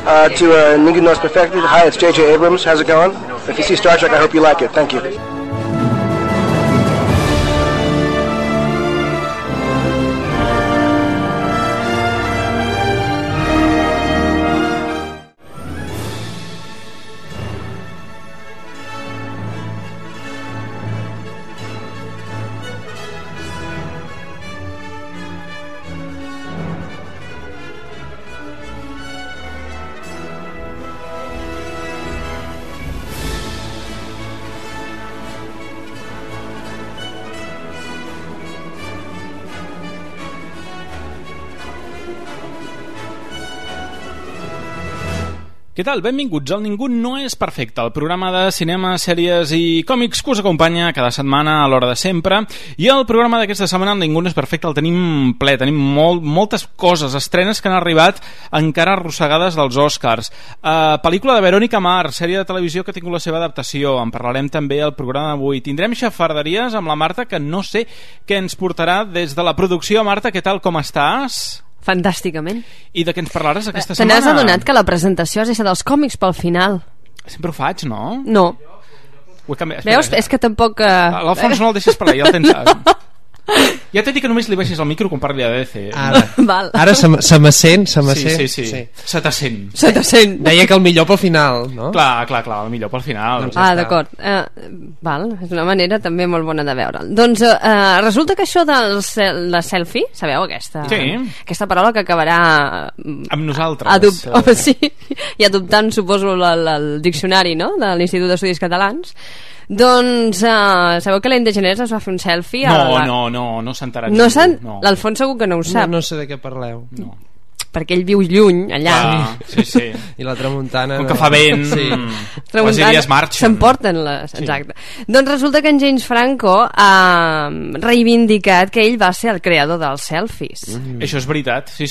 to Ningún No Es Perfecto. Hi, it's J.J. Abrams. How's it going? If you see Star Trek, I hope you like it. Thank you. Què tal? Benvinguts al Ningú No És Perfecte, el programa de cinema, sèries i còmics que us acompanya cada setmana a l'hora de sempre. I el programa d'aquesta setmana, el Ningú No És Perfecte, el tenim ple, tenim moltes coses, estrenes que han arribat encara arrossegades dels Oscars. Pel·lícula de Verónica Mars, sèrie de televisió que ha tingut la seva adaptació, en parlarem també al programa d'avui. Tindrem xafarderies amb la Marta, que no sé què ens portarà des de la producció. Marta, què tal, com estàs? Fantàsticament. I de què ens parlaràs aquesta setmana? Te n'has adonat que la presentació has deixat els còmics pel final? Sempre ho faig, no? No. Espera, veus? És que tampoc... L'Alfons no el deixes per allà, ja el tens... Ja t'he dit que només li baixis el micro quan parli de DC. Ara se me sent. Sí. Se t'assent. Deia que el millor pel final, no? Clar, el millor pel final. Doncs d'acord. És una manera també molt bona de veure'l. Doncs resulta que això de la selfie, sabeu aquesta? Sí. Aquesta paraula que acabarà... amb nosaltres. Sí, i adoptant, suposo, el diccionari, no?, de l'Institut d'Estudis Catalans. Doncs sabeu que l'Ellen DeGeneres es va fer un selfie? No s'ha enterat. L'Alfons segur que no ho sap. No sé de què parleu. No. Perquè ell viu lluny, allà. Sí. I la tramuntana... Com que fa vent, les illes marxen. S'emporten les... Exacte. Doncs resulta que en James Franco ha reivindicat que ell va ser el creador dels selfies. Això és veritat, sí.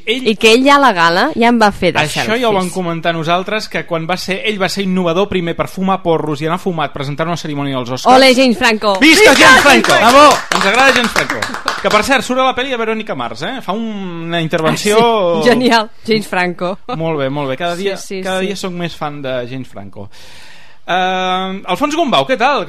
I que ell ja a la gala ja en va fer de selfies. Això ja ho vam comentar nosaltres, que quan ell va ser innovador primer per fumar porros i anar fumat, presentar una cerimònia als Oscars. Ole, James Franco! Visca James Franco! Bravo! Ens agrada James Franco. Que per cert, surt a la pel·li de Verónica Mars, fa una intervenció... Genial, James Franco. Molt bé. Cada dia soc més fan de James Franco. Alfons Gombau, què tal?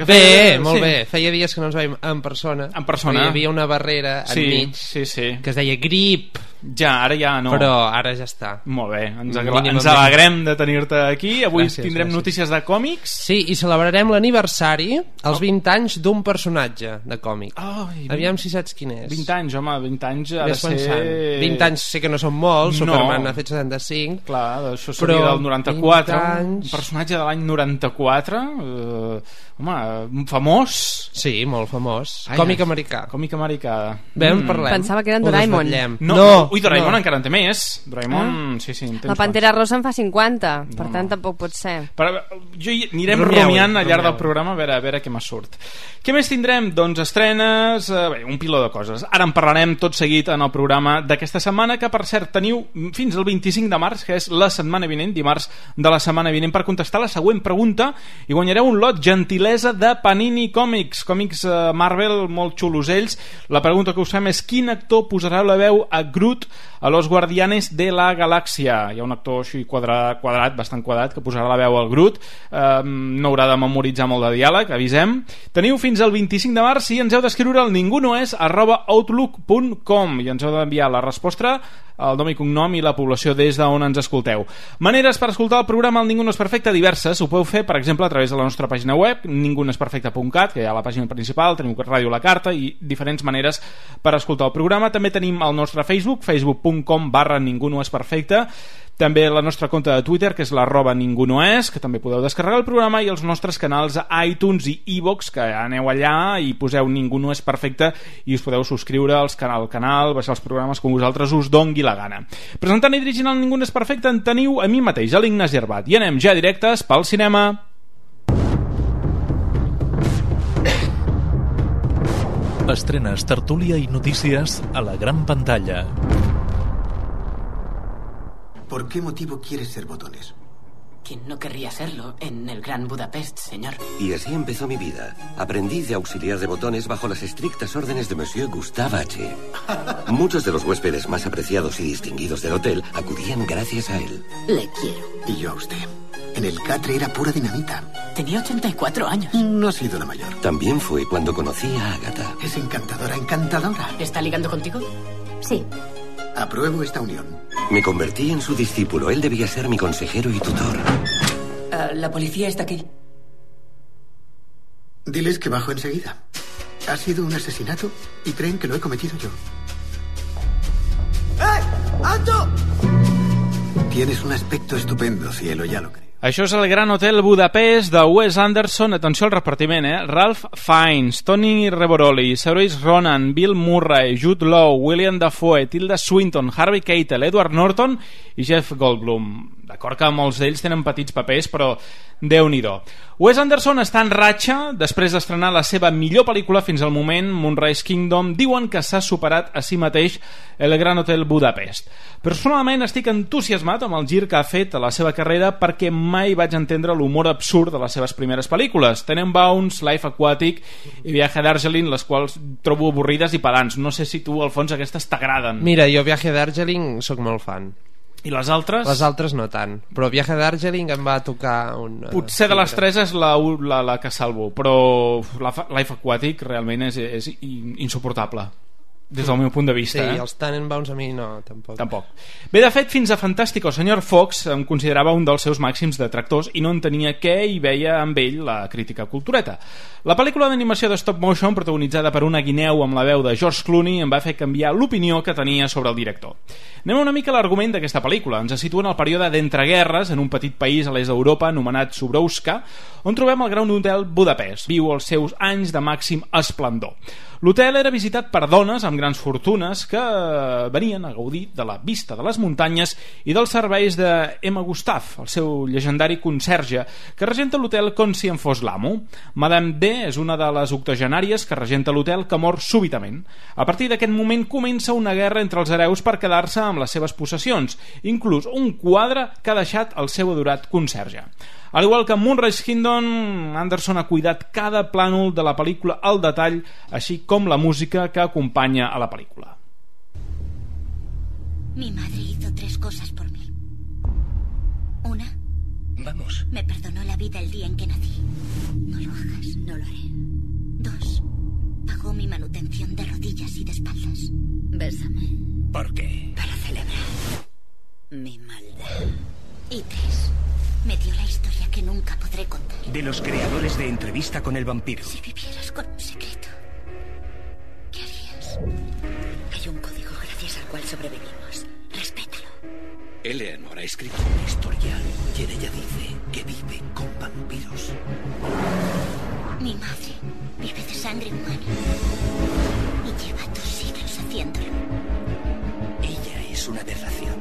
Molt bé. Feia dies que no ens veiem en persona. Hi havia una barrera enmig que es deia grip. Ara ja no. Però ara ja està. Molt bé, ens alegrem de tenir-te aquí. Avui tindrem notícies de còmics. Sí, i celebrarem l'aniversari, els 20 anys d'un personatge de còmic. Aviam si saps quin és. 20 anys, home, 20 anys ha de ser... 20 anys sé que no són molts, Superman ha fet 75. Clar, això seria del 94. Un personatge de l'any 94, home, famós. Sí, molt famós. Còmic americà. Bé, en parlem. Pensava que era en Doraemon. Ui, Doraemon encara en té més. Doraemon, sí. La Pantera Rosa en fa 50, per tant tampoc pot ser. Anirem rumiant al llarg del programa a veure què me surt. Què més tindrem? Doncs estrenes, un piló de coses. Ara en parlarem tot seguit en el programa d'aquesta setmana, que per cert teniu fins al 25 de març, que és la setmana vinent, dimarts de la setmana vinent, per contestar la següent pregunta i guanyareu un lot gentilesa de Panini Còmics Marvel, molt xulos ells. La pregunta que us fem és: quin actor posarà la veu a Groot a Los Guardianes de la Galàxia? Hi ha un actor així bastant quadrat, que posarà la veu al Groot. No haurà de memoritzar molt de diàleg, avisem. Teniu fins al 25 de març i ens heu d'escriure al ningunoes@outlook.com i ens heu d'enviar la resposta, el nom i cognom i la població des d'on ens escolteu. Maneres per escoltar el programa El Ningú No És Perfecte diverses. Ho podeu fer, per exemple, a través de la nostra pàgina web, ningunoesperfecte.cat, que hi ha la pàgina principal, teniu Ràdio La Carta i diferents maneres per escoltar el programa. També tenim el nostre facebook.com/ningunoesperfecte. També la nostra compte de Twitter, que és @ningunoes, que també podeu descarregar el programa, i els nostres canals a iTunes i iVoox, que aneu allà i poseu Ningú No És Perfecte i us podeu subscriure al canal, baixar els programes com vosaltres us dongui la gana. Presentant i dirigint el Ningú No És Perfecte en teniu a mi mateix, a l'Ignasi Herbat, i anem ja directes pel cinema. Estrenes, tertúlia i notícies a la gran pantalla. ¿Por qué motivo quieres ser botones? ¿Quién no querría serlo en el Gran Budapest, señor? Y así empezó mi vida. Aprendí de auxiliar de botones bajo las estrictas órdenes de Monsieur Gustave H. Muchos de los huéspedes más apreciados y distinguidos del hotel acudían gracias a él. Le quiero. Y yo a usted. En el catre era pura dinamita. Tenía 84 años. No ha sido la mayor. También fue cuando conocí a Agatha. Es encantadora, encantadora. ¿Está ligando contigo? Sí. Apruebo esta unión. Me convertí en su discípulo. Él debía ser mi consejero y tutor. La policía está aquí. Diles que bajo enseguida. Ha sido un asesinato y creen que lo he cometido yo. ¡Alto! Tienes un aspecto estupendo, cielo, ya lo creo. Això és el Gran Hotel Budapest de Wes Anderson. Atenció al repartiment, Ralph Fiennes, Tony Revolori, Saoirse Ronan, Bill Murray, Jude Law, William Dafoe, Tilda Swinton, Harvey Keitel, Edward Norton i Jeff Goldblum. D'acord que molts d'ells tenen petits papers, però Déu-n'hi-do. Wes Anderson està en ratxa després d'estrenar la seva millor pel·lícula fins al moment, Moonrise Kingdom. Diuen que s'ha superat a si mateix el Gran Hotel Budapest. Personalment estic entusiasmat amb el gir que ha fet a la seva carrera perquè mai vaig entendre l'humor absurd de les seves primeres pel·lícules. Tenenbaums, Life Aquatic i Viaje d'Argelin, les quals trobo avorrides i pedants. No sé si tu, Alfons, aquestes t'agraden. Mira, jo Viaje d'Argelin sóc molt fan. I les altres? Les altres no tant, però Viaje d'Argelin em va tocar un... Potser de les tres és la que salvo, però Life Aquatic realment és insuportable des del meu punt de vista. Sí, els Tenenbaums a mi no, tampoc. Bé, de fet, fins a Fantástico Sr. Fox em considerava un dels seus màxims detractors i no entenia què hi veia amb ell la crítica cultureta. La pel·lícula d'animació de stop motion, protagonitzada per una guineu amb la veu de George Clooney, em va fer canviar l'opinió que tenia sobre el director. Anem una mica a l'argument d'aquesta pel·lícula. Ens situa en el període d'entreguerres en un petit país a l'est d'Europa anomenat Subrouska, on trobem el Gran Hotel Budapest. Viu els seus anys de màxim esplendor. L'hotel era visitat per dones amb grans fortunes que venien a gaudir de la vista de les muntanyes i dels serveis de Emma Gustave, el seu llegendari conserge, que regenta l'hotel com si en fos l'amo. Madame D és una de les octogenàries que regenta l'hotel que mor súbitament. A partir d'aquest moment comença una guerra entre els hereus per quedar-se amb les seves possessions, inclús un quadre que ha deixat el seu adorat conserge. Al igual que en Moonrise Kingdom, Anderson ha cuidat cada plànol de la pel·lícula al detall, així com la música que acompanya a la pel·lícula. Mi madre hizo 3 cosas por mí. Una, Vamos. me perdonó la vida el día en que nací. No lo hagas, no lo haré. 2, pagó mi manutención de rodillas y de espaldas. Bésame. ¿Por qué? Para celebrar mi maldad. Y 3, me dio la historia que nunca podré contar. De los creadores de Entrevista con el vampiro. Si vivieras con un secreto, ¿qué harías? Hay un código gracias al cual sobrevivimos. Respétalo. Eleanor ha escrito una historia y en ella dice que vive con vampiros. Mi madre vive de sangre humana y lleva 2 siglos haciéndolo. Ella es una aberración.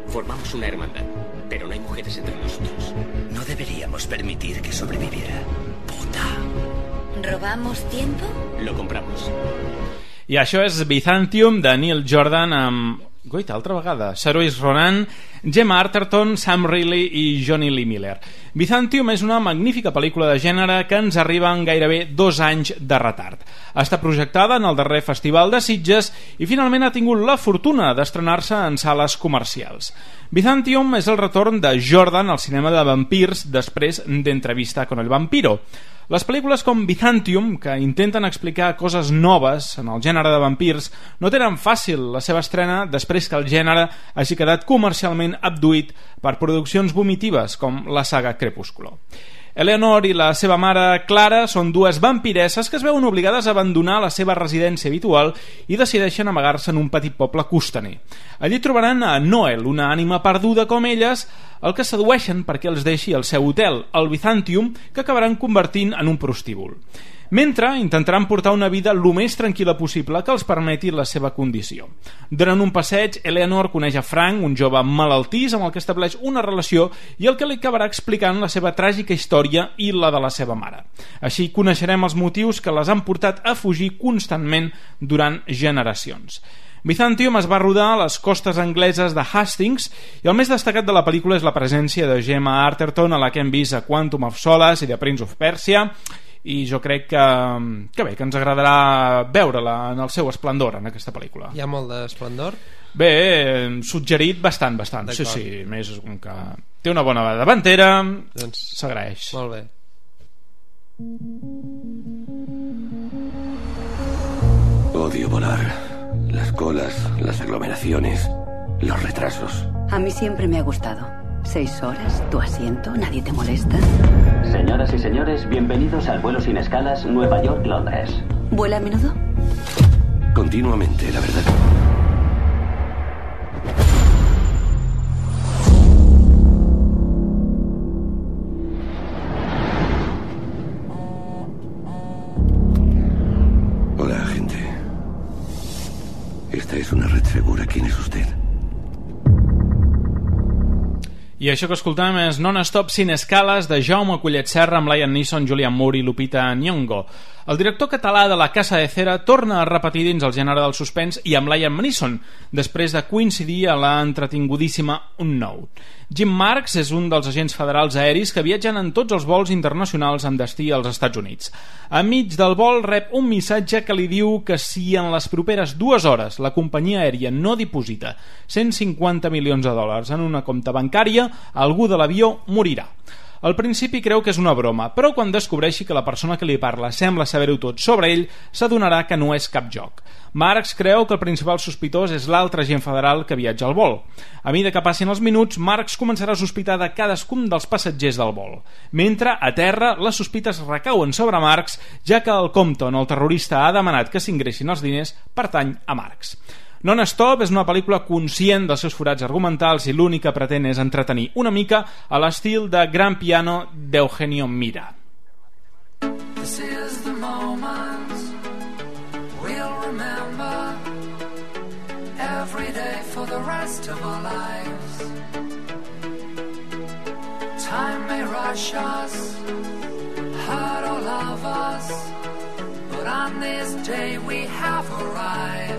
Formamos una hermandad, pero no hay mujeres entre nosotros. No deberíamos permitir que sobreviviera. Puta. ¿Robamos tiempo? Lo compramos. I això és Byzantium de Neil Jordan amb... Goita, altra vegada. Saoirse Ronan, Gemma Arterton, Sam Riley i Johnny Lee Miller. Byzantium és una magnífica pel·lícula de gènere que ens arriba en gairebé 2 anys de retard. Està projectada en el darrer Festival de Sitges i finalment ha tingut la fortuna d'estrenar-se en sales comercials. Byzantium és el retorn de Jordan al cinema de vampirs després d'Entrevista con el vampiro. Les pel·lícules com Byzantium, que intenten explicar coses noves en el gènere de vampirs, no tenen fàcil la seva estrena després que el gènere hagi quedat comercialment abduït per produccions vomitives com la saga Crepúsculo. Eleanor i la seva mare Clara són 2 vampiresses que es veuen obligades a abandonar la seva residència habitual i decideixen amagar-se en un petit poble costaner. Allí trobaran a Noel, una ànima perduda com elles, el que sedueixen perquè els deixi el seu hotel, el Byzantium, que acabaran convertint en un prostíbul. Mentre intentaran portar una vida el més tranquil·la possible que els permeti la seva condició. Durant un passeig, Eleanor coneix a Frank, un jove malaltís amb el que estableix una relació i el que li acabarà explicant la seva tràgica història i la de la seva mare. Així coneixerem els motius que les han portat a fugir constantment durant generacions. Byzantium es va rodar a les costes angleses de Hastings i el més destacat de la pel·lícula és la presència de Gemma Arterton, a la que hem vist a Quantum of Solace i The Prince of Persia, i jo crec que bé, que ens agradarà veure-la en el seu esplendor en aquesta pel·lícula. Hi ha molt d'esplendor? Bé, suggerit bastant. Sí, més que té una bona davantera, doncs s'agraeix. Molt bé. Odio volar. Las colas, las aglomeraciones, los retrasos. A mí siempre me ha gustado. 6 horas, tu asiento, nadie te molesta. Señoras y señores, bienvenidos al vuelo sin escalas Nueva York-Londres. ¿Vuela a menudo? Continuamente, la verdad. Hola, agente. Esta es una red segura. ¿Quién es usted? I això que escoltàvem és Non-Stop Sin Escales de Jaume Collet Serra amb Liam Neeson, Julianne Moore i Lupita Nyong'o. El director català de La Casa de Cera torna a repetir dins el gènere del suspens i amb Liam Neeson, després de coincidir a la entretingudíssima Unknown. Jim Marks és un dels agents federals aeris que viatgen en tots els vols internacionals amb destí als Estats Units. Enmig del vol rep un missatge que li diu que si en les properes 2 hores la companyia aèria no diposita $150 milions en una compta bancària, algú de l'avió morirà. Al principi creu que és una broma, però quan descobreixi que la persona que li parla sembla saber-ho tot sobre ell, s'adonarà que no és cap joc. Marx creu que el principal sospitós és l'altre agent federal que viatja al vol. A mesura que passin els minuts, Marx començarà a sospitar de cadascun dels passatgers del vol. Mentre, a terra, les sospites recauen sobre Marx, ja que el compte on el terrorista ha demanat que s'ingressin els diners pertany a Marx. Non-Stop és una pel·lícula conscient dels seus forats argumentals i l'únic que pretén és entretenir una mica a l'estil de Gran Piano d'Eugenio Mira. This is the moment we'll remember every day for the rest of our lives. Time may rush us, hurt or love us, but on this day we have arrived.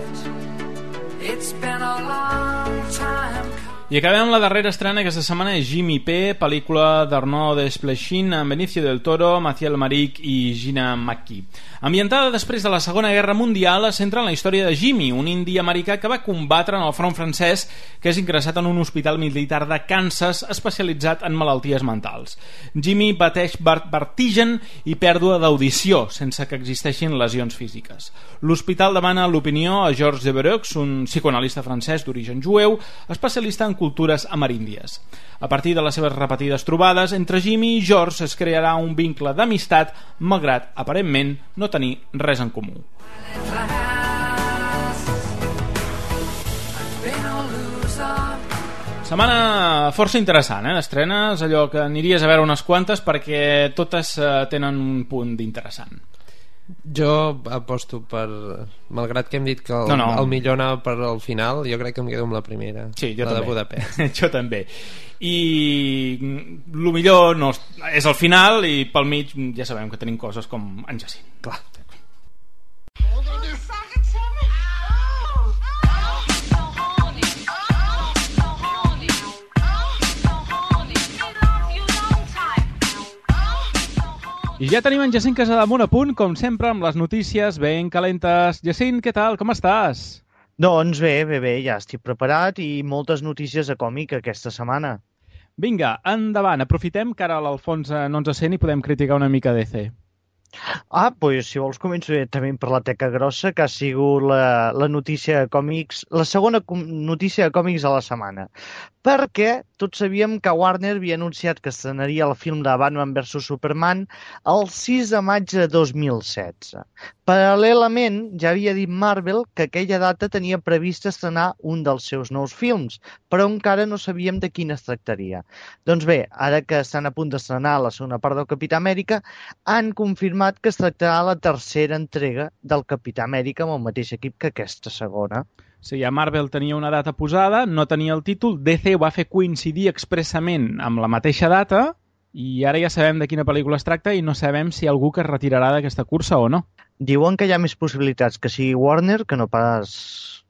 It's been a long time. I acabem la darrera estrena aquesta setmana és Jimmy P, pel·lícula d'Arnaud Desplechin amb Benicio del Toro, Mathieu Amalric i Gina McKee. Ambientada després de la Segona Guerra Mundial, es centra en la història de Jimmy, un indi americà que va combatre en el front francès, que és ingressat en un hospital militar de Kansas especialitzat en malalties mentals. Jimmy pateix vertigen i pèrdua d'audició, sense que existeixin lesions físiques. L'hospital demana l'opinió a Georges Devereux, un psicoanalista francès d'origen jueu, especialista en cultures ameríndies. A partir de les seves repetides trobades, entre Jimmy i George es crearà un vincle d'amistat, malgrat, aparentment, no tenir res en comú. Setmana força interessant, d'estrenes, allò que aniries a veure unes quantes perquè totes tenen un punt d'interessant. Jo aposto per... Malgrat que hem dit que el millor anava per al final, jo crec que em quedo amb la primera. Sí, jo la també. De Budapest. Jo també. I el millor no és el final i pel mig ja sabem que tenim coses com en Jacint. Clar. I ja tenim en Jacint Casademunt a punt, com sempre, amb les notícies ben calentes. Jacint, què tal? Com estàs? Doncs bé, ja estic preparat i moltes notícies de còmic aquesta setmana. Vinga, endavant, aprofitem que ara l'Alfons no ens sent i podem criticar una mica DC. Doncs si vols començo directament per la teca grossa, que ha sigut la notícia de còmics, la segona notícia de còmics de la setmana. Perquè tots sabíem que Warner havia anunciat que estrenaria el film de Batman vs Superman el 6 de maig de 2016. Paral·lelament, ja havia dit Marvel que aquella data tenia previst estrenar un dels seus nous films, però encara no sabíem de quin es tractaria. Doncs bé, ara que estan a punt d'estrenar la segona part del Capità Amèrica, han confirmat que es tractarà la tercera entrega del Capità Amèrica amb el mateix equip que aquesta segona. Sí, ja Marvel tenia una data posada, no tenia el títol, DC ho va fer coincidir expressament amb la mateixa data i ara ja sabem de quina pel·lícula es tracta i no sabem si hi ha algú que es retirarà d'aquesta cursa o no. Diuen que hi ha més possibilitats que sigui Warner que no pas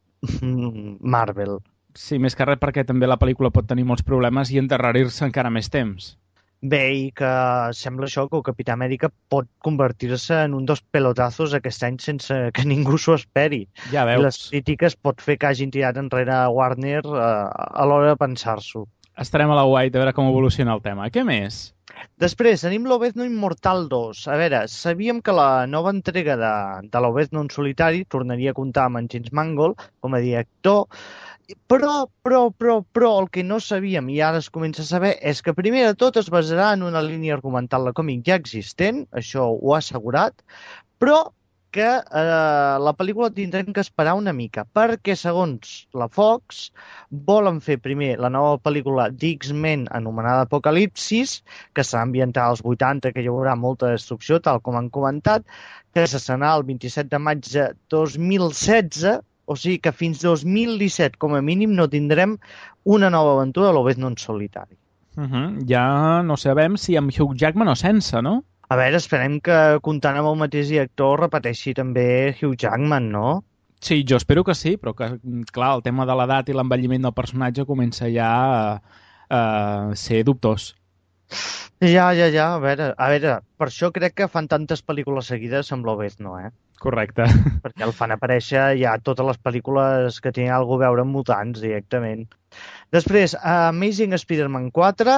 Marvel. Sí, més que res perquè també la pel·lícula pot tenir molts problemes i endarrerir-se encara més temps. Bé, i que sembla això que el Capità Amèrica pot convertir-se en un dels pelotazos aquest any sense que ningú s'ho esperi. Ja veus. I les crítiques pot fer que hagin tirat enrere Warner a l'hora de pensar-s'ho. Estarem a la White a veure com evoluciona el tema. Què més? Després, tenim l'Obezno Immortal 2. A veure, sabíem que la nova entrega de l'Obezno en solitari tornaria a comptar amb en James Mangold com a director, però el que no sabíem i ara es comença a saber és que primer de tot es basarà en una línia argumental de còmic ja existent, això ho ha assegurat, però que la pel·lícula tindrem que esperar una mica, perquè segons la Fox volen fer primer la nova pel·lícula d'X-Men anomenada Apocalipsis, que serà ambientada als 80, que hi haurà molta destrucció, tal com han comentat, que s'estrenarà el 27 de maig de 2016, o sigui que fins 2017, com a mínim, no tindrem una nova aventura a l'Obezno en solitari. Ja no sabem si amb Hugh Jackman o sense, no? A veure, esperem que comptant amb el mateix director repeteixi també Hugh Jackman, no? Sí, jo espero que sí, però que, clar, el tema de l'edat i l'envelliment del personatge comença ja a ser dubtós. Ja, a veure, per això crec que fan tantes pel·lícules seguides amb l'Obezno, Correcte. Perquè el fan aparèixer ja totes les pel·lícules que tenen alguna cosa a veure amb mutants directament. Després, Amazing Spider-Man 4,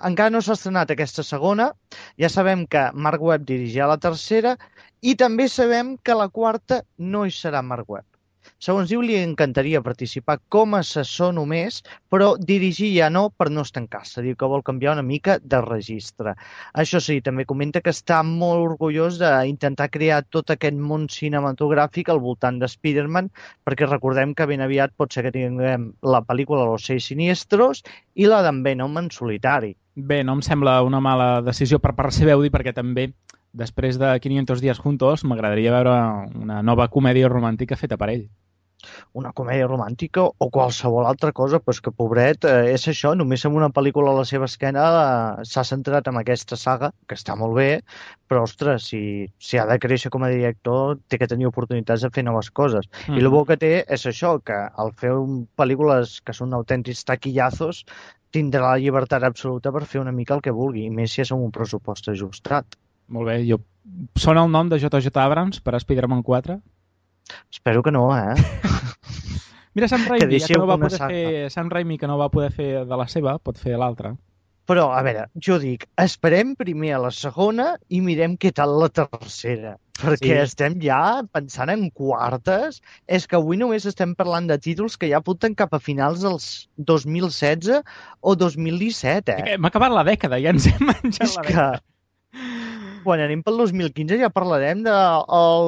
encara no s'ha estrenat aquesta segona, ja sabem que Mark Webb dirigirà la tercera i també sabem que la quarta no hi serà Mark Webb. Segons diu, li encantaria participar com a assessor només, però dirigir ja no per no estancar-se. Diu que vol canviar una mica de registre. Això sí, també comenta que està molt orgullós d'intentar crear tot aquest món cinematogràfic al voltant de Spider-Man, perquè recordem que ben aviat pot ser que tinguem la pel·lícula Los Seis Siniestros i la d'en Venom en solitari. Bé, no em sembla una mala decisió per part seva, perquè també després de 500 días juntos, m'agradaria veure una nova comèdia romàntica feta per ell. Una comèdia romàntica o qualsevol altra cosa, però és que, pobret, és això, només amb una pel·lícula a la seva esquena s'ha centrat en aquesta saga, que està molt bé, però, ostres, si ha de créixer com a director, té que tenir oportunitats de fer noves coses. I el bo que té és això, que al fer pel·lícules que són autèntics taquillazos, tindrà la llibertat absoluta per fer una mica el que vulgui, i més si és amb un pressupost ajustat. Molt bé, sona el nom de J.J. Abrams per a Spider-Man 4? Espero que no, Mira, Sam Raimi, que no va poder fer de la seva, pot fer l'altra. Però, a veure, jo dic, esperem primer a la segona i mirem què tal la tercera. Perquè estem ja pensant en quartes. És que avui només estem parlant de títols que ja apunten cap a finals dels 2016 o 2017, Hem acabat la dècada, ja ens hem menjat la dècada. Quan anem pel 2015 ja parlarem del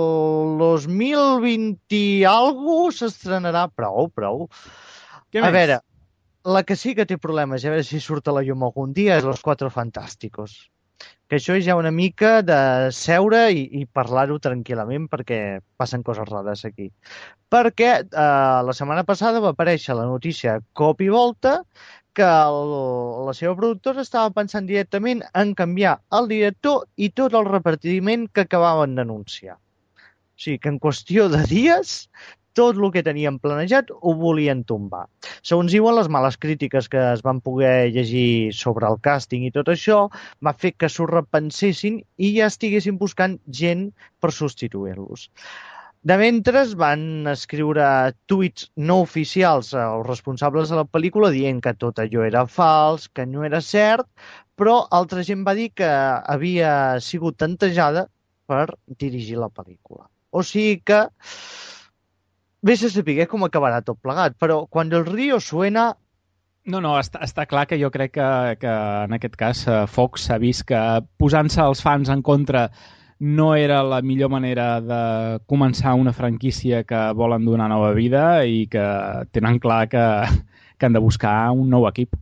2020 i alguna cosa s'estrenarà prou. A veure, la que sí que té problemes, a veure si surt a la llum algun dia, és Los Cuatro Fantásticos. Que això és ja una mica de seure i parlar-ho tranquil·lament perquè passen coses rares aquí. Perquè la setmana passada va aparèixer la notícia cop i volta que la seva productora estava pensant directament en canviar el director i tot el repartiment que acabaven d'anunciar. O sigui que en qüestió de dies tot el que tenien planejat ho volien tombar. Segons diuen, les males crítiques que es van poder llegir sobre el càsting i tot això va fer que s'ho repensessin i ja estiguessin buscant gent per substituir-los. De mentre van escriure tuits no oficials als responsables de la pel·lícula dient que tot allò era fals, que no era cert, però altra gent va dir que havia sigut tantejada per dirigir la pel·lícula. O sigui que vés a saber com acabarà tot plegat, però quan el río suena... No, està clar que jo crec que en aquest cas Fox s'ha vist que posant-se els fans en contra no era la millor manera de començar una franquícia que volen donar nova vida i que tenen clar que han de buscar un nou equip.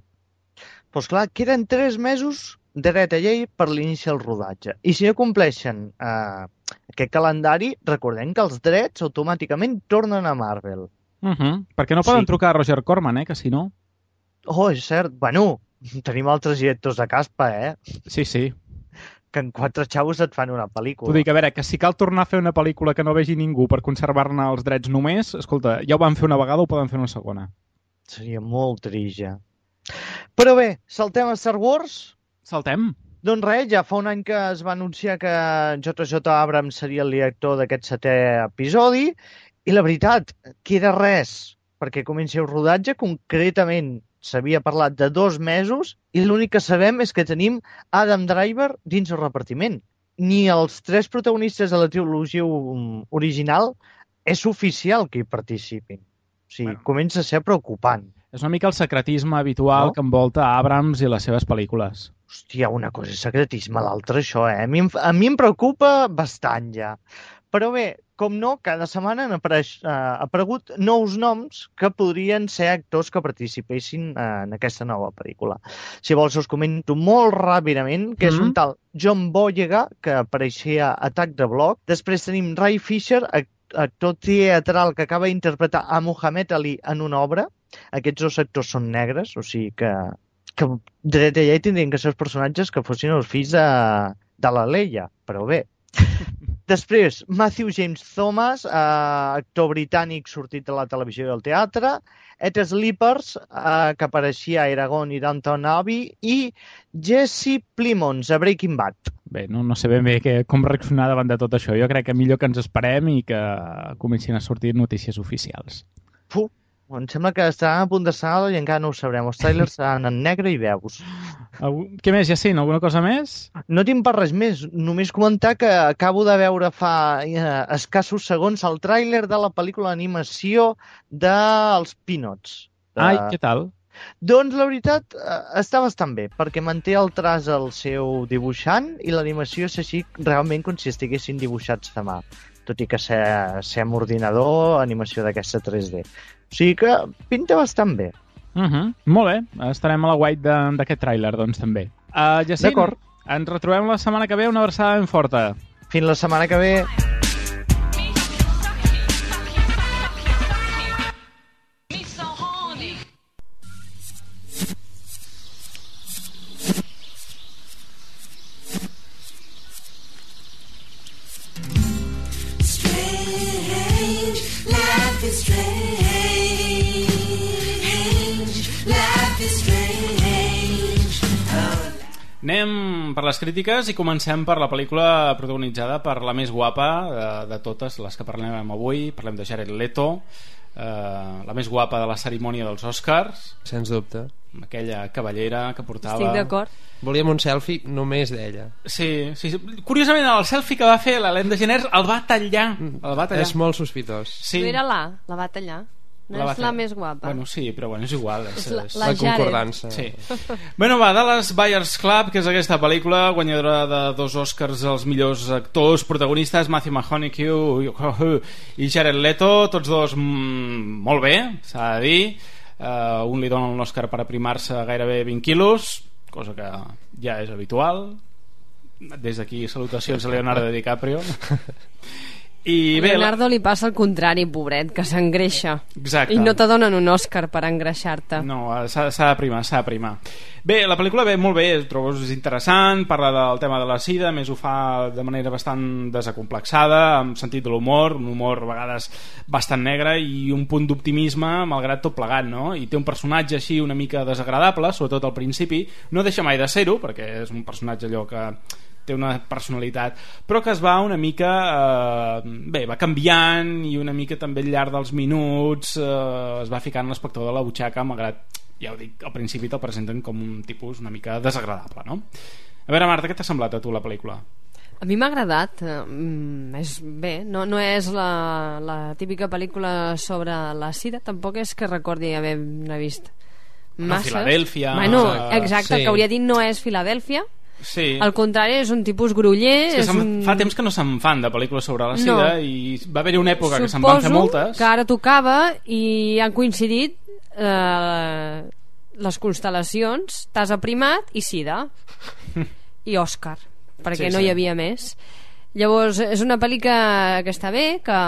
Doncs clar, queden 3 mesos de dret a llei per l'inici del rodatge. I si no compleixen aquest calendari, recordem que els drets automàticament tornen a Marvel. Perquè no poden trucar a Roger Corman, que si no... Oh, és cert. Bueno, tenim altres directors de caspa, Sí. que en 4 xavos et fan una pel·lícula. T'ho dic, a veure, que si cal tornar a fer una pel·lícula que no vegi ningú per conservar-ne els drets només, escolta, ja ho van fer una vegada, ho poden fer una segona. Seria molt trist, ja. Però bé, saltem a Star Wars? Saltem. Doncs res, ja fa un any que es va anunciar que J.J. Abrams seria el director d'aquest 7è episodi, i la veritat, queda res perquè comenci el rodatge. Concretament s'havia parlat de 2 mesos i l'únic que sabem és que tenim Adam Driver dins el repartiment. Ni els 3 protagonistes de la trilogia original és oficial que hi participin. O sigui, comença a ser preocupant. És una mica el secretisme habitual que envolta Abrams i les seves pel·lícules. Hòstia, una cosa és secretisme, l'altra això, A mi em preocupa bastant ja. Però bé, com no, cada setmana han aparegut nous noms que podrien ser actors que participessin en aquesta nova pel·lícula. Si vols us comento molt ràpidament, que és un tal John Boyega, que apareixia a Attack the Block. Després tenim Ray Fisher, actor teatral que acaba d'interpretar a Muhammad Ali en una obra. Aquests 2 actors són negres, o sigui que dret allà tindrien que ser els personatges que fossin els fills de la Leia, però bé. Després, Matthew James Thomas, actor britànic sortit de la televisió i del teatre, Ed Sleepers, que apareixia a Eragon i Downton Abbey, i Jesse Plimons, a Breaking Bad. Bé, no sé ben bé com reaccionar davant de tot això. Jo crec que millor que ens esperem i que comencin a sortir notícies oficials. Em sembla que estaran a punt de salar i encara no ho sabrem. Els trailers seran en negre i veus. Què més, Jacint? Alguna cosa més? No tinc per res més. Només comentar que acabo de veure fa escassos segons el tràiler de la pel·lícula d'animació dels Peanuts. Ai, què tal? Doncs la veritat està bastant bé, perquè manté el traç al seu dibuixant i l'animació és així realment com si estiguessin dibuixats de mà, tot i que ser amb ordinador, animació d'aquesta 3D. O sigui que pinta bastant bé. Molt bé, estarem a la guait d'aquest tràiler, doncs també. Jacint, d'acord, ens retrobem la setmana que ve, una abraçada ben forta. Fins la setmana que ve. Anem per les crítiques i comencem per la pel·lícula protagonitzada per la més guapa de totes les que parlem avui. Parlem de Jared Leto, la més guapa de la cerimònia dels Oscars, sens dubte, amb aquella cavallera que portava. Estic d'acord. Volíem un selfie només d'ella. Sí. Curiosament el selfie que va fer l'Ellen DeGeneres el va tallar. És molt sospitós. Sí. No era la va tallar. No és la més guapa. Bueno, sí, però bueno, és igual. És la concordança. Sí. Bueno, Dallas Buyers Club, que és aquesta pel·lícula guanyadora de 2 Oscars als millors actors protagonistes, Matthew McConaughey i Jared Leto, tots dos molt bé, s'ha de dir. Un li dona un Oscar per aprimar-se gairebé 20 quilos, cosa que ja és habitual. Des d'aquí salutacions a Leonardo DiCaprio. I bé, Leonardo li passa el contrari, pobret, que s'engreixa. Exacte. I no te donen un Òscar per engreixar-te. No, s'ha de primar. Bé, la pel·lícula ve molt bé, trobo és interessant, parla del tema de la sida, més ho fa de manera bastant desacomplexada, amb sentit de l'humor, un humor a vegades bastant negre i un punt d'optimisme malgrat tot plegat, no? I té un personatge així una mica desagradable, sobretot al principi, no deixa mai de ser-ho, perquè és un personatge allò que té una personalitat, però que es va una mica va canviant i una mica també al llarg dels minuts es va ficant l'espectador a la butxaca, malgrat, ja ho dic, al principi te'l presenten com un tipus una mica desagradable, no? A veure, Marta, què t'ha semblat a tu la pel·lícula? A mi m'ha agradat, és bé, no és la típica pel·lícula sobre la sida, tampoc és que recordi haver-ne vist massa. Filadèlfia. Bueno, exacte, sí. El que hauria dit no és Filadèlfia. Sí. Al contrari, és un tipus gruller. Fa temps que no se'n fan de pel·lícules sobre la sida i va haver-hi una època que se'n van fer moltes. Suposo que ara tocava i han coincidit les constel·lacions, t'has aprimat i sida i Òscar, perquè no hi havia més. Llavors és una pel·li que està bé, que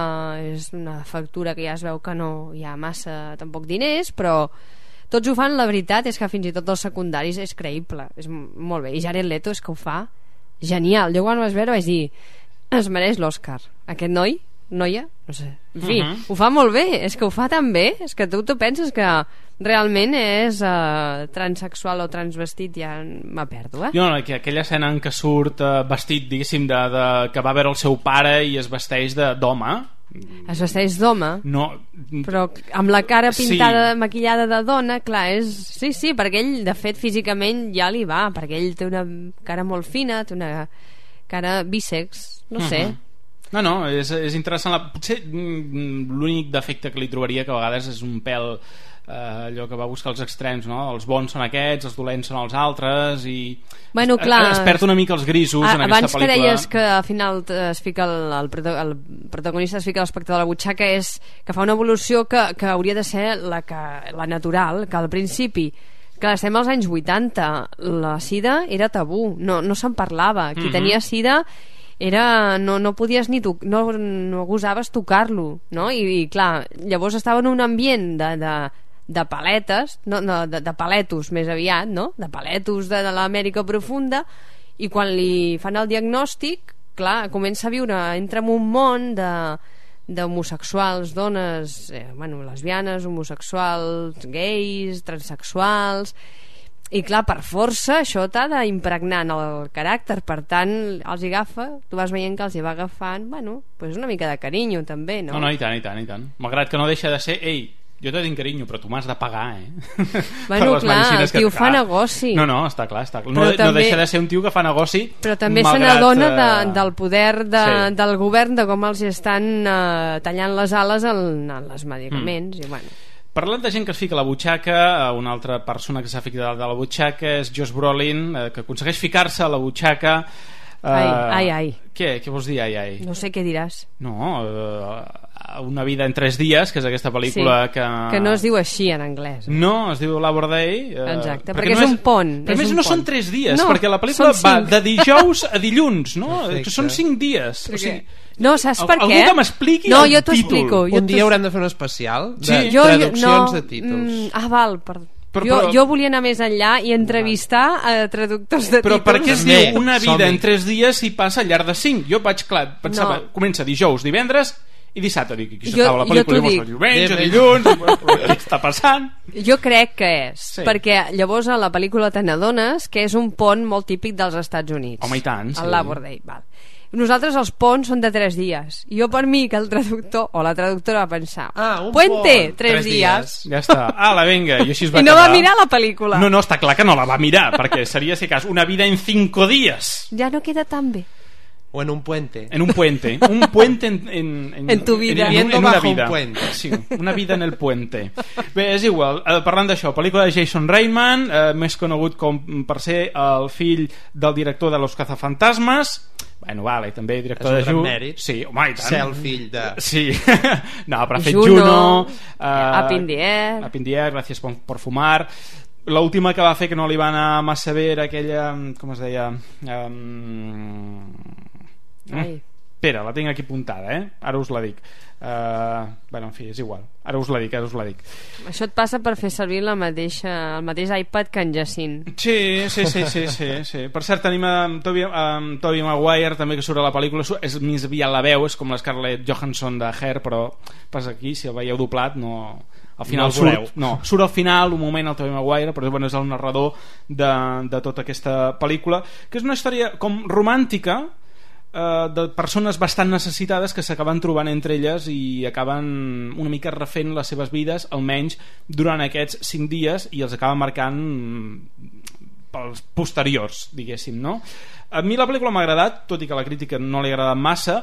és una factura que ja es veu que no hi ha massa tampoc diners, però tots ho fan, la veritat és que fins i tot els secundaris és creïble, és molt bé, i Jared Leto és que ho fa genial. Jo quan ho vas veure vaig dir, es mereix l'Oscar. Aquest noi, noia, no sé, en fi, ho fa molt bé, és que ho fa tan bé, és que tu penses que realment és transsexual o transvestit, ja me perdo, No, aquella escena en què surt vestit, diguéssim, que va veure el seu pare i es vesteix d'home. Es vesteix d'home? No. Però amb la cara pintada, maquillada de dona, clar, sí, perquè ell, de fet, físicament ja li va, perquè ell té una cara molt fina, té una cara bísex, no sé. No, és interessant. Potser l'únic defecte que li trobaria, que a vegades és un pèl allò que va buscar els extrems, no? Els bons són aquests, els dolents són els altres, i es perd una mica els grisos en aquesta pel·lícula. Abans que deies que al final es fica el protagonista, es fica l'espectador a la butxaca, és que fa una evolució que hauria de ser la natural, que al principi, que estem als anys 80, la sida era tabú, no se'n parlava. Qui tenia sida no podies ni no gosaves tocar-lo, no? I clar, llavors estava en un ambient de paletes, de paletos més aviat, no? De paletos de l'Amèrica profunda, i quan li fan el diagnòstic, clar, comença a viure, entra en un món d'homosexuals, dones, lesbianes, homosexuals, gais, transsexuals, i clar, per força això t'ha d'impregnar en el caràcter, per tant els hi agafa, tu vas veient que els hi va agafant pues una mica de carinyo també, no? No, i tant. Malgrat que no deixa de ser, jo te tinc carinyo, però tu m'has de pagar, clar, el tio fa negoci. No, està clar. No deixa de ser un tio que fa negoci, però també se n'adona del poder del govern, de com els estan tallant les ales als medicaments, i bueno. Parlant de gent que es fica a la butxaca, una altra persona que s'ha ficat a la butxaca és Josh Brolin, que aconsegueix ficar-se a la butxaca. Ai. Què vols dir, ai? No sé què diràs. No, Una vida en 3 dies, que és aquesta pel·lícula que no es diu així en anglès. No, es diu Labor Day. Exacte, perquè és un pont. Però a més no són 3 dies, perquè la pel·lícula va de dijous a dilluns, no? Són 5 dies. O sigui, no, saps per què? Algú que m'expliqui el jo títol. Un dia haurem de fer un especial de traduccions de títols. Val, jo volia anar més enllà i entrevistar traductors de títols. Però per què es diu una vida en 3 dies i passa al llarg de 5? Jo pensava, comença dijous, divendres i dissabte. Dic, aquí s'acaba la pel·lícula, diumenge, dilluns, què està passant? Jo crec que és, perquè llavors a la pel·lícula te n'adones que és un pont molt típic dels Estats Units. Home, i tant, sí. El Labor Day, val. Nosaltres els ponts són de 3 dies. I jo, per mi, que el traductor o la traductora va pensar puente, 3 dies. Ja està, vinga. I així es va no va mirar la pel·lícula. No, està clar que no la va mirar, perquè seria, si cas, una vida en 5 dies. Ja no queda tan bé. O en un puente. En un puente. Un puente en tu vida. En una vida. Un puente. Sí, una vida en el puente. Bé, és igual. Parlant d'això, pel·lícula de Jason Reitman, més conegut per ser el fill del director de Los Cazafantasmas. Bueno, vale, també director de Juno. Sí, home, i tant. Ser el fill de... Sí. No, però ha fet Juno. Up in the Air. Up in the Air, Gracias por fumar. L'última que va fer que no li va anar massa bé era aquella... Com es deia? Espera, la tinc aquí apuntada, ara us la dic. En fi, és igual, ara us la dic. Això et passa per fer servir el mateix iPad que en Jacint. Sí. Per cert, tenim Tobey Maguire també, que surt a la pel·lícula, és més aviat la veu, és com la Scarlett Johansson de Hair, però passa aquí, si el veieu doblat no... Al final surt al final un moment el Tobey Maguire, però és el narrador de tota aquesta pel·lícula, que és una història com romàntica, de persones bastant necessitades que s'acaben trobant entre elles i acaben una mica refent les seves vides, almenys durant aquests 5 dies, i els acaben marcant pels posteriors, diguéssim, no? A mi la pel·lícula m'ha agradat, tot i que la crítica no li ha agradat massa,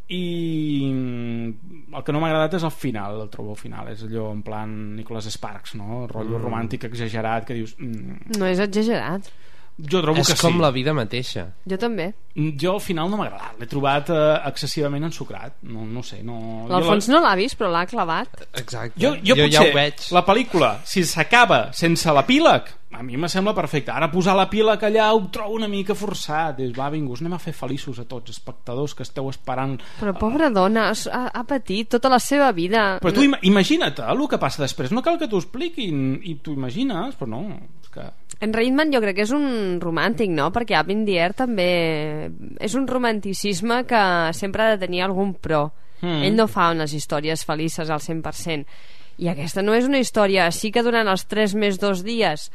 i el que no m'ha agradat és el final. El trobo final, és allò en plan Nicholas Sparks, no? El rotllo romàntic exagerat que dius... No és exagerat. Jo trobo que sí. És com la vida mateixa. Jo també. Jo al final no m'ha agradat, l'he trobat excessivament ensucrat. No sé, no... L'Alfons no l'ha vist, però l'ha clavat. Exacte. Jo potser ja ho veig. La pel·lícula, si s'acaba sense l'epíleg, a mi me sembla perfecte. Ara posar l'epíleg allà ho trobo una mica forçat. Va, vingus, anem a fer feliços a tots espectadors que esteu esperant. Però pobra dona, ha patit tota la seva vida. Però tu imagina't el que passa després. No cal que t'ho expliquin i t'ho imagines, però no, és que... En Reitman jo crec que és un romàntic, no? Perquè Up in the Air també és un romanticisme que sempre ha de tenir algun pro. Ell no fa unes històries felices al 100%. I aquesta no és una història. Sí que durant els 3 més 2 dies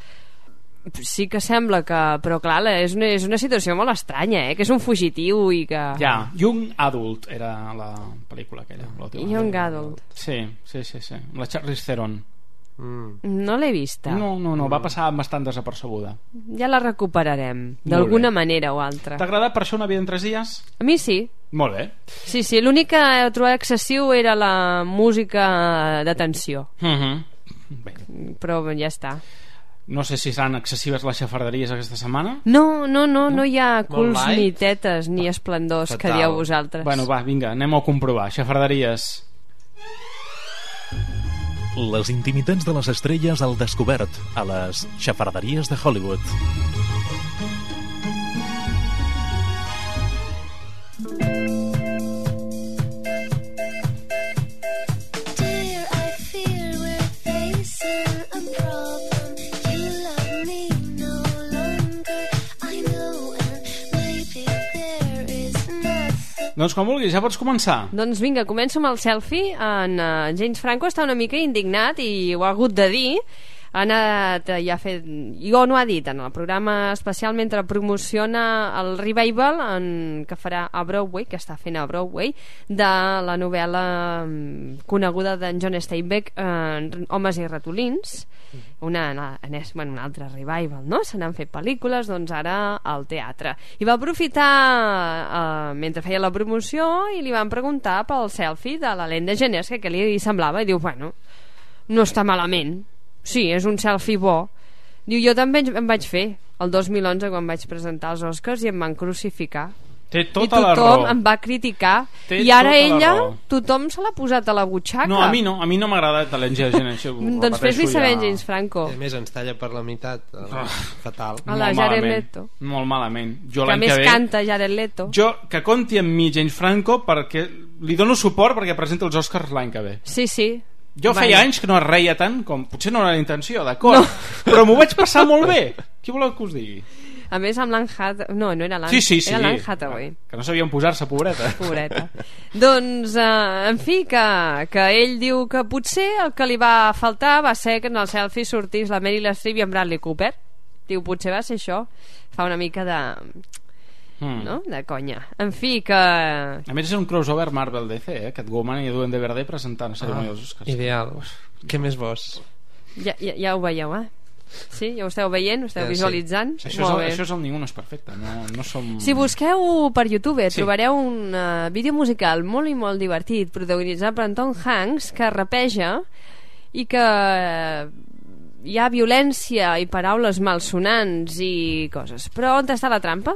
sí que sembla que... Però clar, és una situació molt estranya, que és un fugitiu i que... Ja, Young Adult era la pel·lícula aquella. Young Adult. Sí. La Charlize Theron. No l'he vista. No, va passar bastant desapercebuda. Ja la recuperarem d'alguna manera o altra. T'ha agradat per això Una vida en 3 dies? A mi sí. Molt bé. Sí, l'únic que he trobat excessiu era la música de tensió. Bé. Però ja està. No sé si seran excessives les xafarderies aquesta setmana. No hi ha culs ni tetes ni esplendors que dieu vosaltres. Bueno, va, vinga, anem a comprovar. Xafarderies. Les intimitats de les estrelles al descobert a les xafarderies de Hollywood. Doncs com vulguis, ja pots començar. Doncs vinga, començo amb el selfie. James Franco està una mica indignat i ho ha hagut de dir. Ha anat i ha fet... Jo no ha dit en el programa especial mentre promociona el revival que farà a Broadway, que està fent a Broadway, de la novel·la coneguda d'en John Steinbeck, Homes i ratolins. Un altre revival, no? Se n'han fet pel·lícules, doncs ara al teatre. I va aprofitar mentre feia la promoció i li van preguntar pel selfie de l'Ellen DeGeneres, que li semblava, i diu, bueno, no està malament. Sí, és un selfie bo. Diu, jo també em vaig fer el 2011 quan vaig presentar els Oscars i em van crucificar. Té tota la raó. I tothom em va criticar. I ara ella, tothom se l'ha posat a la butxaca. No, a mi m'ha agradat l'Ellen DeGeneres. Doncs fes-li saber James Franco. A més, ens talla per la meitat. Fatal. A la Jared Leto. Molt malament. Que més canta Jared Leto. Jo, que conti amb mi James Franco, perquè li dono suport perquè presenta els Oscars l'any que ve. Sí. Jo feia anys que no es reia tant com... Potser no era la intenció, d'acord, però m'ho vaig passar molt bé. Qui voleu que us digui? A més amb l'Anne Hathaway... No era l'Anne era l'Anne Hathaway. Que no sabien posar-se, pobreta. Doncs, en fi, que ell diu que potser el que li va faltar va ser que en el selfie sortís la Meryl Streep i en Bradley Cooper. Diu, potser va ser això. Fa una mica de... no? De conya. En fi, que... A més és un crossover Marvel DC, Catwoman i Duende Verde presentant a cerimònia dels Oscars. Ideal. Què més vols? Ja ho veieu, Sí, ja ho esteu veient, ho esteu visualitzant. Sí. Això és el Ningú no és perfecte. No som... Si busqueu per YouTube trobareu un vídeo musical molt i molt divertit protagonitzat per Tom Hanks que rapeja i que hi ha violència i paraules malsonants i coses. Però on està la trampa?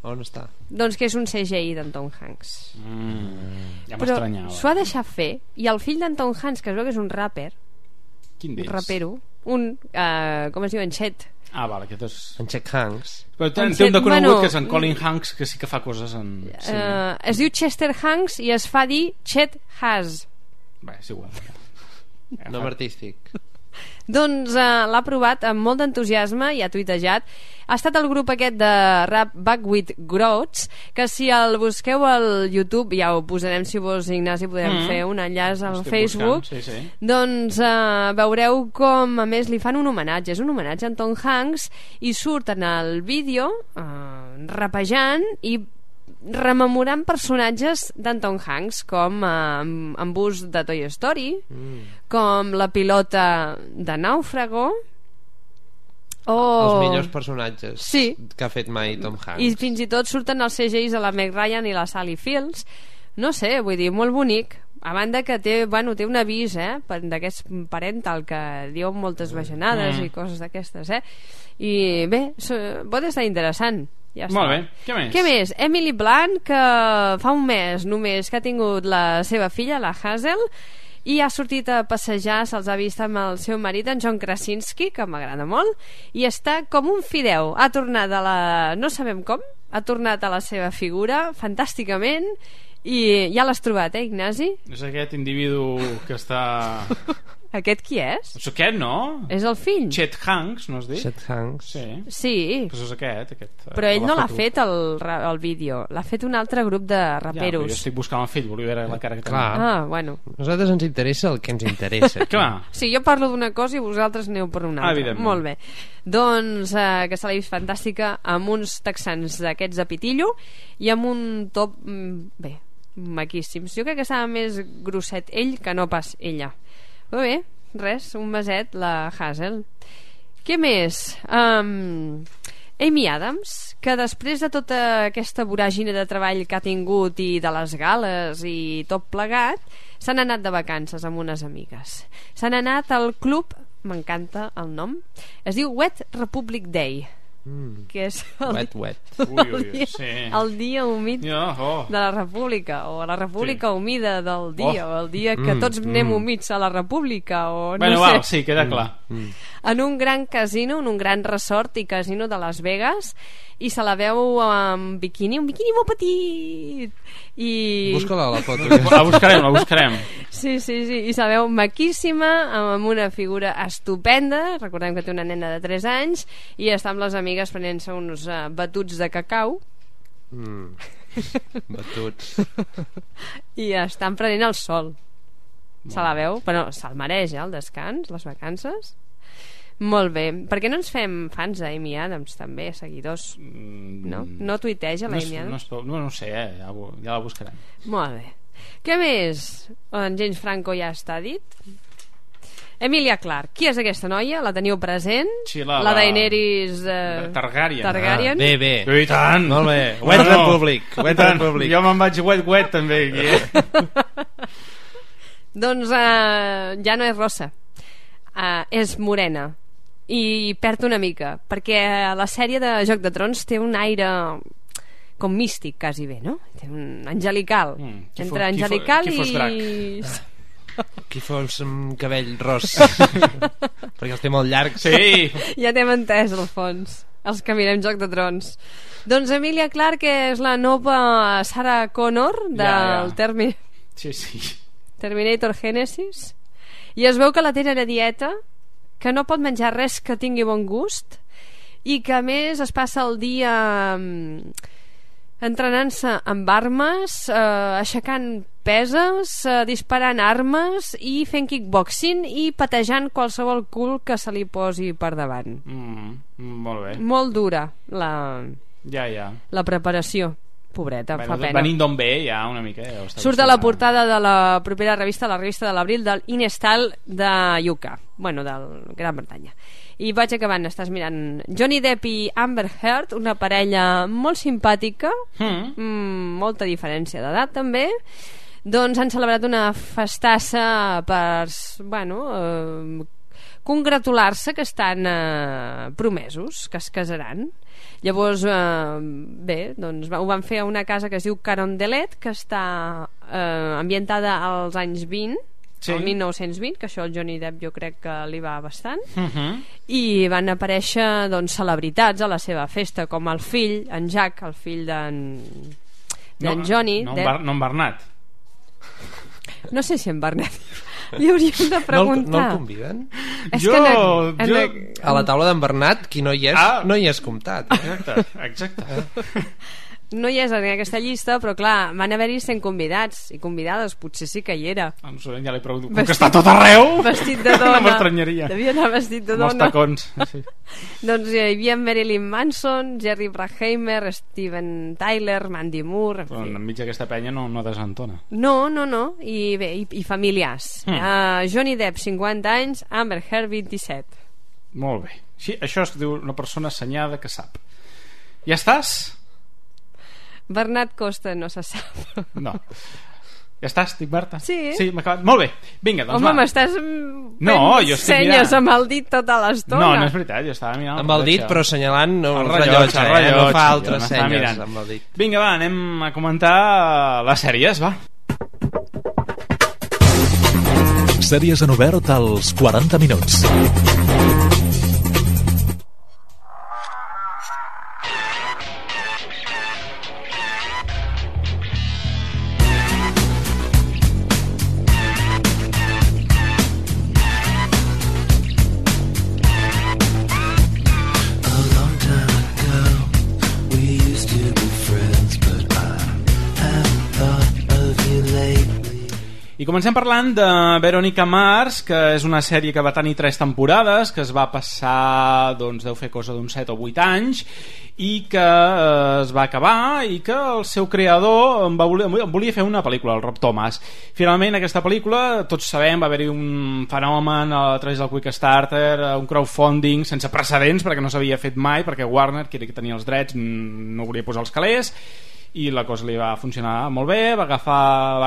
On està? Doncs que és un CGI d'en Tom Hanks. Ja m'estranyava. Però s'ho ha deixat fer i el fill d'en Tom Hanks, que es veu que és un rapper, quin d'ells? Un rapero, com es diu, en Chet. Vale, aquest és... En Chet Hanks. Però té un de conegut que és en Colin Hanks, que sí que fa coses en... Es diu Chester Hanks i es fa dir Chet Has. Bé, és igual. Nom artístic. Doncs l'ha provat amb molt d'entusiasme i ha tuitejat. Ha estat el grup aquest de rap Back with Groats, que si el busqueu al YouTube, ja ho posarem, si vos, Ignasi, podem fer un enllaç al Facebook. Sí. Doncs veureu com a més li fan un homenatge. És un homenatge a en Tom Hanks i surt en el vídeo rapejant i rememorant personatges d'en Tom Hanks, com en Buzz de Toy Story, com la pilota de Nàufrago, els millors personatges que ha fet mai Tom Hanks. I fins i tot surten els CGIs a la Meg Ryan i la Sally Fields. No sé, vull dir, molt bonic. A banda que té un avís d'aquest parental que diu moltes bajanades i coses d'aquestes, i bé, pot estar interessant. Ja molt bé, què més? Emily Blunt, que fa un mes només que ha tingut la seva filla, la Hazel, i ha sortit a passejar, se'ls ha vist amb el seu marit, en John Krasinski, que m'agrada molt, i està com un fideu. Ha tornat no sabem com, ha tornat a la seva figura fantàsticament, i ja l'has trobat, Ignasi? És aquest individu que està... Aquest qui és? És aquest, no? És el fill. Chet Hanks, no has dit? Chet Hanks. Sí. Pues és aquest. Però ell no l'ha fet el vídeo, l'ha fet un altre grup de raperos. Ja, jo estic buscant el fill, volia veure la cara que tenia. Ah, bueno. Nosaltres ens interessa el que ens interessa. Clar. Sí, jo parlo d'una cosa i vosaltres aneu per una altra. Molt bé. Doncs que se l'ha vist fantàstica amb uns texans d'aquests de pitillo i amb un top bé, maquíssims. Jo crec que estava més grosset ell que no pas ella. Però bé, res, un meset la Hazel. Què més? Amy Adams, que després de tota aquesta voràgine de treball que ha tingut i de les gales i tot plegat, s'han anat de vacances amb unes amigues. S'han anat al club, m'encanta el nom, es diu Wet Republic Day, que és el dia humit de la república, o la república humida del dia, o el dia que tots anem humits a la república, o no sé. Sí, queda clar. En un gran casino, en un gran resort i casino de Las Vegas, i se la veu amb biquini, un biquini molt petit i... Busca-la la foto. La buscarem. Sí, i se la veu maquíssima, amb una figura estupenda. Recordem que té una nena de 3 anys i està amb les amigues prenent-se uns batuts de cacau. Batuts. I estan prenent el sol. Se la veu, però se'l mereix, el descans, les vacances. Molt bé. Per què no ens fem fans d'Amy Adams també, seguidors? No tuiteja l'Amy Adams? No sé, ja la buscarem. Molt bé. Què més? En James Franco ja està dit. Emilia Clarke, qui és aquesta noia? La teniu present? Sí, la Daenerys Targaryen. Bé. I tant. Molt bé. Wet Republic. Jo me'n vaig wet també aquí. Doncs ja no és rossa, és morena i perd una mica, perquè la sèrie de Joc de Trons té un aire com místic, quasi bé, no? Té un angelical. Entre angelical i... Qui fos amb cabell ros. Perquè els té molt llargs. Sí. Ja t'hem entès, al fons, els que mirem Joc de Trons. Doncs Emilia Clarke és la nova Sarah Connor del Terminator Genesis, i es veu que la tenen a dieta, que no pot menjar res que tingui bon gust i que a més es passa el dia entrenant-se amb armes, aixecant peses, disparant armes i fent kickboxing i patejant qualsevol cul que se li posi per davant. Molt bé. Molt dura la preparació. Pobreta, fa pena. Venint d'on ve ja una mica. Surt a la portada de la propera revista, la revista de l'abril, del InStyle de UK, bueno, del Gran Bretanya. I vaig acabant, estàs mirant Johnny Depp i Amber Heard, una parella molt simpàtica, molta diferència d'edat també. Doncs han celebrat una festassa per congratular-se que estan promesos, que es casaran. Llavors doncs ho van fer a una casa que es diu Carondelet, que està ambientada als anys 20, el 1920, que això el Johnny Depp jo crec que li va bastant, i van aparèixer doncs celebritats a la seva festa, com el fill, en Jack, el fill d'en Johnny Depp. No en Bernat. No sé si en Bernat. Li hauríem de preguntar. No el conviden? A la taula d'en Bernat, qui no hi és, no hi és comptat. Exacte. No hi és en aquesta llista, però clar, van haver-hi 100 convidats i convidades, potser sí que hi era. No sé, ja l'he preguntat. Com que està tot arreu? Vestit de dona. No m'estranyaria. Devia anar vestit de dona. Amb els tacons. Sí. Doncs hi havia Marilyn Manson, Jerry Bruckheimer, Steven Tyler, Mandy Moore... Però enmig d'aquesta penya no desentona. No. I bé, i familiars. Johnny Depp, 50 anys, Amber Heard, 27. Molt bé. Sí, això es diu una persona assenyada que sap. Ja estàs? Bernat Costa no se sap. No. Ja estàs, dic Marta? Sí. M'ha acabat. Molt bé, vinga, doncs Home, m'estàs fent senyes amb el dit tota l'estona. No és veritat, jo estava mirant amb el dit, però assenyalant el rellotge, no fa altres senyes amb el dit. Vinga, va, anem a comentar les sèries, va. Sèries en obert als 40 minuts. I comencem parlant de Veronica Mars, que és una sèrie que va tenir 3 temporades, que es va passar, doncs deu fer cosa d'uns 7 o 8 anys, i que es va acabar, i que el seu creador volia fer una pel·lícula, el Rob Thomas. Finalment aquesta pel·lícula, tots sabem, va haver-hi un fenomen a través del Quickstarter, un crowdfunding sense precedents, perquè no s'havia fet mai, perquè Warner, que tenia els drets, no volia posar els calés, i la cosa li va funcionar molt bé, va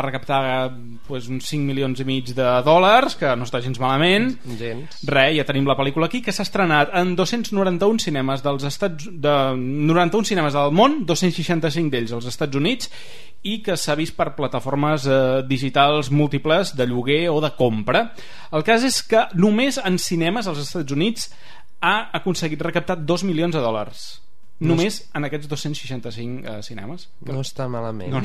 recaptar uns 5,5 milions de dòlars, que no està gens malament. Ja tenim la pel·lícula aquí, que s'ha estrenat en 291 cinemes del món, 265 d'ells als Estats Units, i que s'ha vist per plataformes digitals múltiples de lloguer o de compra. El cas és que només en cinemes als Estats Units ha aconseguit recaptar 2 milions de dòlars. Només en aquests 265 cinemes. No està malament. No,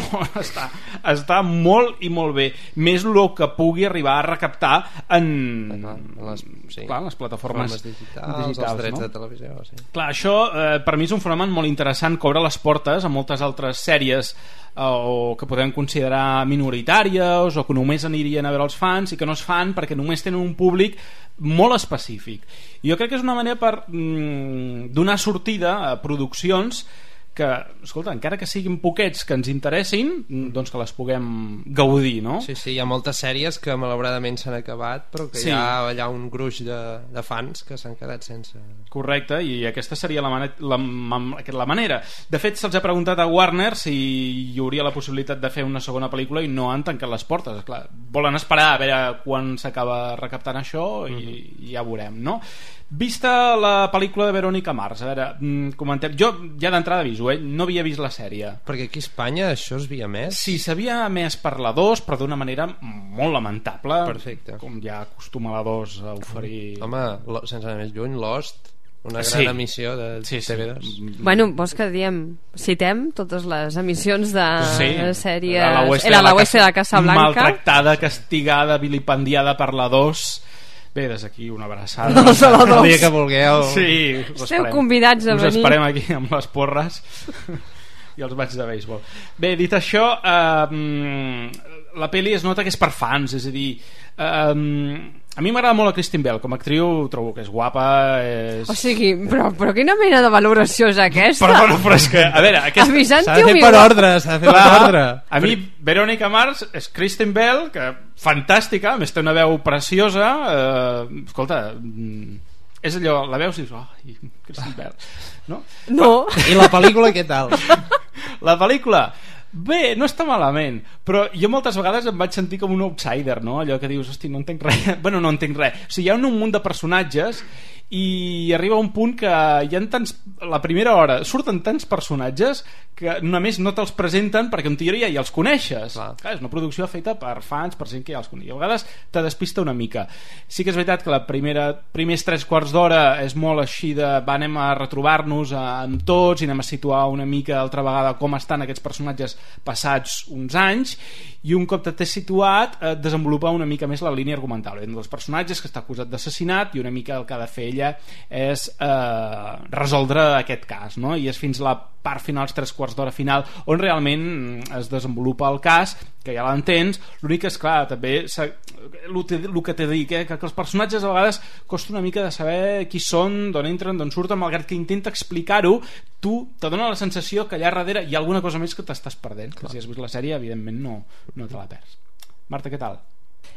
està molt i molt bé. Més el que pugui arribar a recaptar en les plataformes digitals, els drets de televisió. Sí. Clar, això per mi és un fenomen molt interessant que obre les portes a moltes altres sèries o que podem considerar minoritàries o que només anirien a veure els fans i que no es fan perquè només tenen un públic molt específic. I jo crec que és una manera per donar sortida a produccions que, escolta, encara que siguin poquets que ens interessin, doncs que les puguem gaudir, no? Sí, hi ha moltes sèries que malauradament s'han acabat, però que hi ha allà un gruix de fans que s'han quedat sense... Correcte, i aquesta seria la manera. De fet, se'ls ha preguntat a Warner si hi hauria la possibilitat de fer una segona pel·lícula i no han tancat les portes. Clar, volen esperar a veure quan s'acaba recaptant això i ja veurem, no? Vista la pel·lícula de Veronica Mars, a veure, comentem. Jo ja d'entrada aviso, no havia vist la sèrie. Perquè aquí a Espanya això es havia emès? Sí, s'havia emès per la 2, però d'una manera molt lamentable. Perfecte. Com ja acostuma la 2 a oferir... Home, sense anar més lluny, Lost, una gran emissió de TV2. Bueno, vols que citem totes les emissions de sèries... Era la Oeste de Casablanca. Maltractada, castigada, vilipendiada per la 2... Bé, des d'aquí una abraçada. El dia que vulgueu. Sí, esteu convidats a venir. Us esperem aquí amb les porres i els bats de béisbol. Bé, dit això, la pel·li es nota que és per fans, és a dir... a mi m'agrada molt la Kristen Bell com a actriu, trobo que és guapa, O sigui, però quina mena de valoració és aquesta? Però és que, a veure, s'ha de fer per ordre, a mi Veronica Mars és Kristen Bell, que fantàstica, a més té una veu preciosa, escolta, és allò, la veus i dius, Kristen Bell, no? I la pel·lícula què tal? La pel·lícula bé, no està malament, però jo moltes vegades em vaig sentir com un outsider, no? Allò que dius, hosti, no entenc res. Bueno, no entenc res. O sigui, hi ha un munt de personatges i arriba un punt que hi ha tants... La primera hora surten tants personatges que només no te'ls presenten perquè en teoria ja els coneixes. Clar, és una producció feta per fans, per gent que ja els coneix. A vegades te despista una mica. Sí que és veritat que la primers 3/4 d'hora és molt així de anem a retrobar-nos amb tots i anem a situar una mica altra vegada com estan aquests personatges passats uns anys, i un cop t'has situat desenvolupar una mica més la línia argumental dels personatges, que està acusat d'assassinat, i una mica el que ha de fer ella és resoldre aquest cas, no? I és fins la part final, els 3/4 d'hora final, on realment es desenvolupa el cas, que ja l'entens. L'únic és, clar, també el que t'he dit, que els personatges a vegades costa una mica de saber qui són, d'on entren, d'on surten, malgrat que intenta explicar-ho, tu te dona la sensació que allà darrere hi ha alguna cosa més que t'estàs perdent, que si has vist la sèrie evidentment no te la perds. Marta, què tal?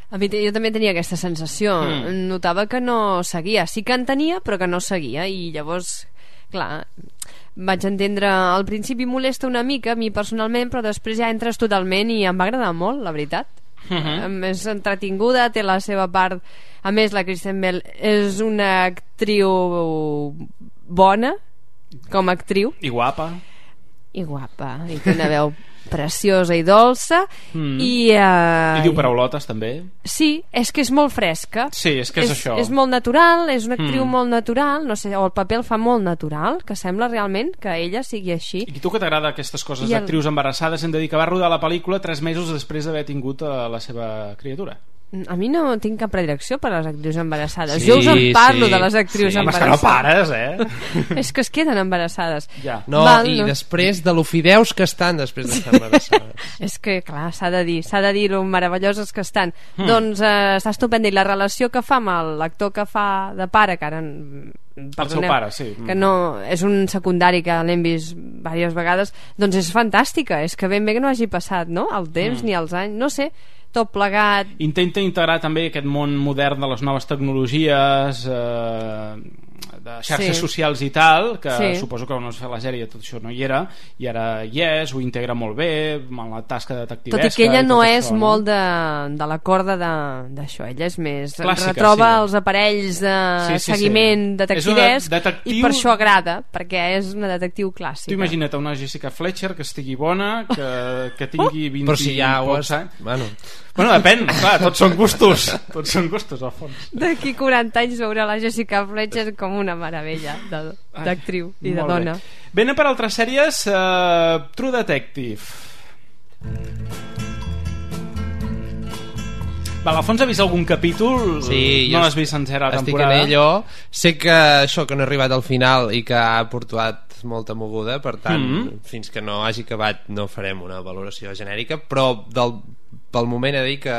Jo també tenia aquesta sensació. Notava que no seguia, sí que en tenia, però que no seguia, i llavors, clar, vaig entendre, al principi molesta una mica a mi personalment, però després ja entres totalment i em va agradar molt, la veritat. És entretinguda, té la seva part. A més, la Kristen Bell és una actriu bona com a actriu, i guapa, i té una veu preciosa i dolça, i diu paraulotes també. Sí, és que és molt fresca. Sí, és que és això. És molt natural, és una actriu molt natural, no sé, o el paper el fa molt natural, que sembla realment que ella sigui així. I tu que t'agrada aquestes coses d'actrius embarassades, hem de dir que va rodar la pel·lícula 3 mesos després d'haver tingut la seva criatura. A mi no tinc cap predilecció per les actrius embarassades. Jo us en parlo de les actrius embarassades. És que no pares, És que es queden embarassades. No, i després de lo fideus que estan després d'estar embarassades. És que, clar, s'ha de dir lo meravelloses que estan. Doncs està estupenda. I la relació que fa amb l'actor que fa de pare, que ara... El seu pare, sí. Que no, és un secundari que l'hem vist diverses vegades, doncs és fantàstica. És que ben bé que no hagi passat, no?, el temps ni els anys, no sé, tot plegat. Intenta integrar també aquest món modern de les noves tecnologies, de xarxes socials i tal, que suposo que quan es fa la sèrie tot això no hi era, i ara hi és, ho integra molt bé amb la tasca detectivesca. Tot i que ella no és molt de la corda d'això, ella és més clàssica, retroba els aparells de seguiment detectivesc, i per això agrada, perquè és una detectiu clàssica. Tu imagina't una Jessica Fletcher que estigui bona, que tingui 20 però si ja ho pocs anys. Bueno, depèn, clar, tots són gustos al fons. D'aquí 40 anys veurà la Jessica Fletcher com una meravella d'actriu i de dona. Bé, anem per altres sèries. True Detective. L'Alfons ha vist algun capítol? Sí, no l'has vist sencera la temporada? Estic en ello. Sé que això, que no he arribat al final i que ha portat molta moguda, per tant, fins que no hagi acabat no farem una valoració genèrica, però pel moment he de dir que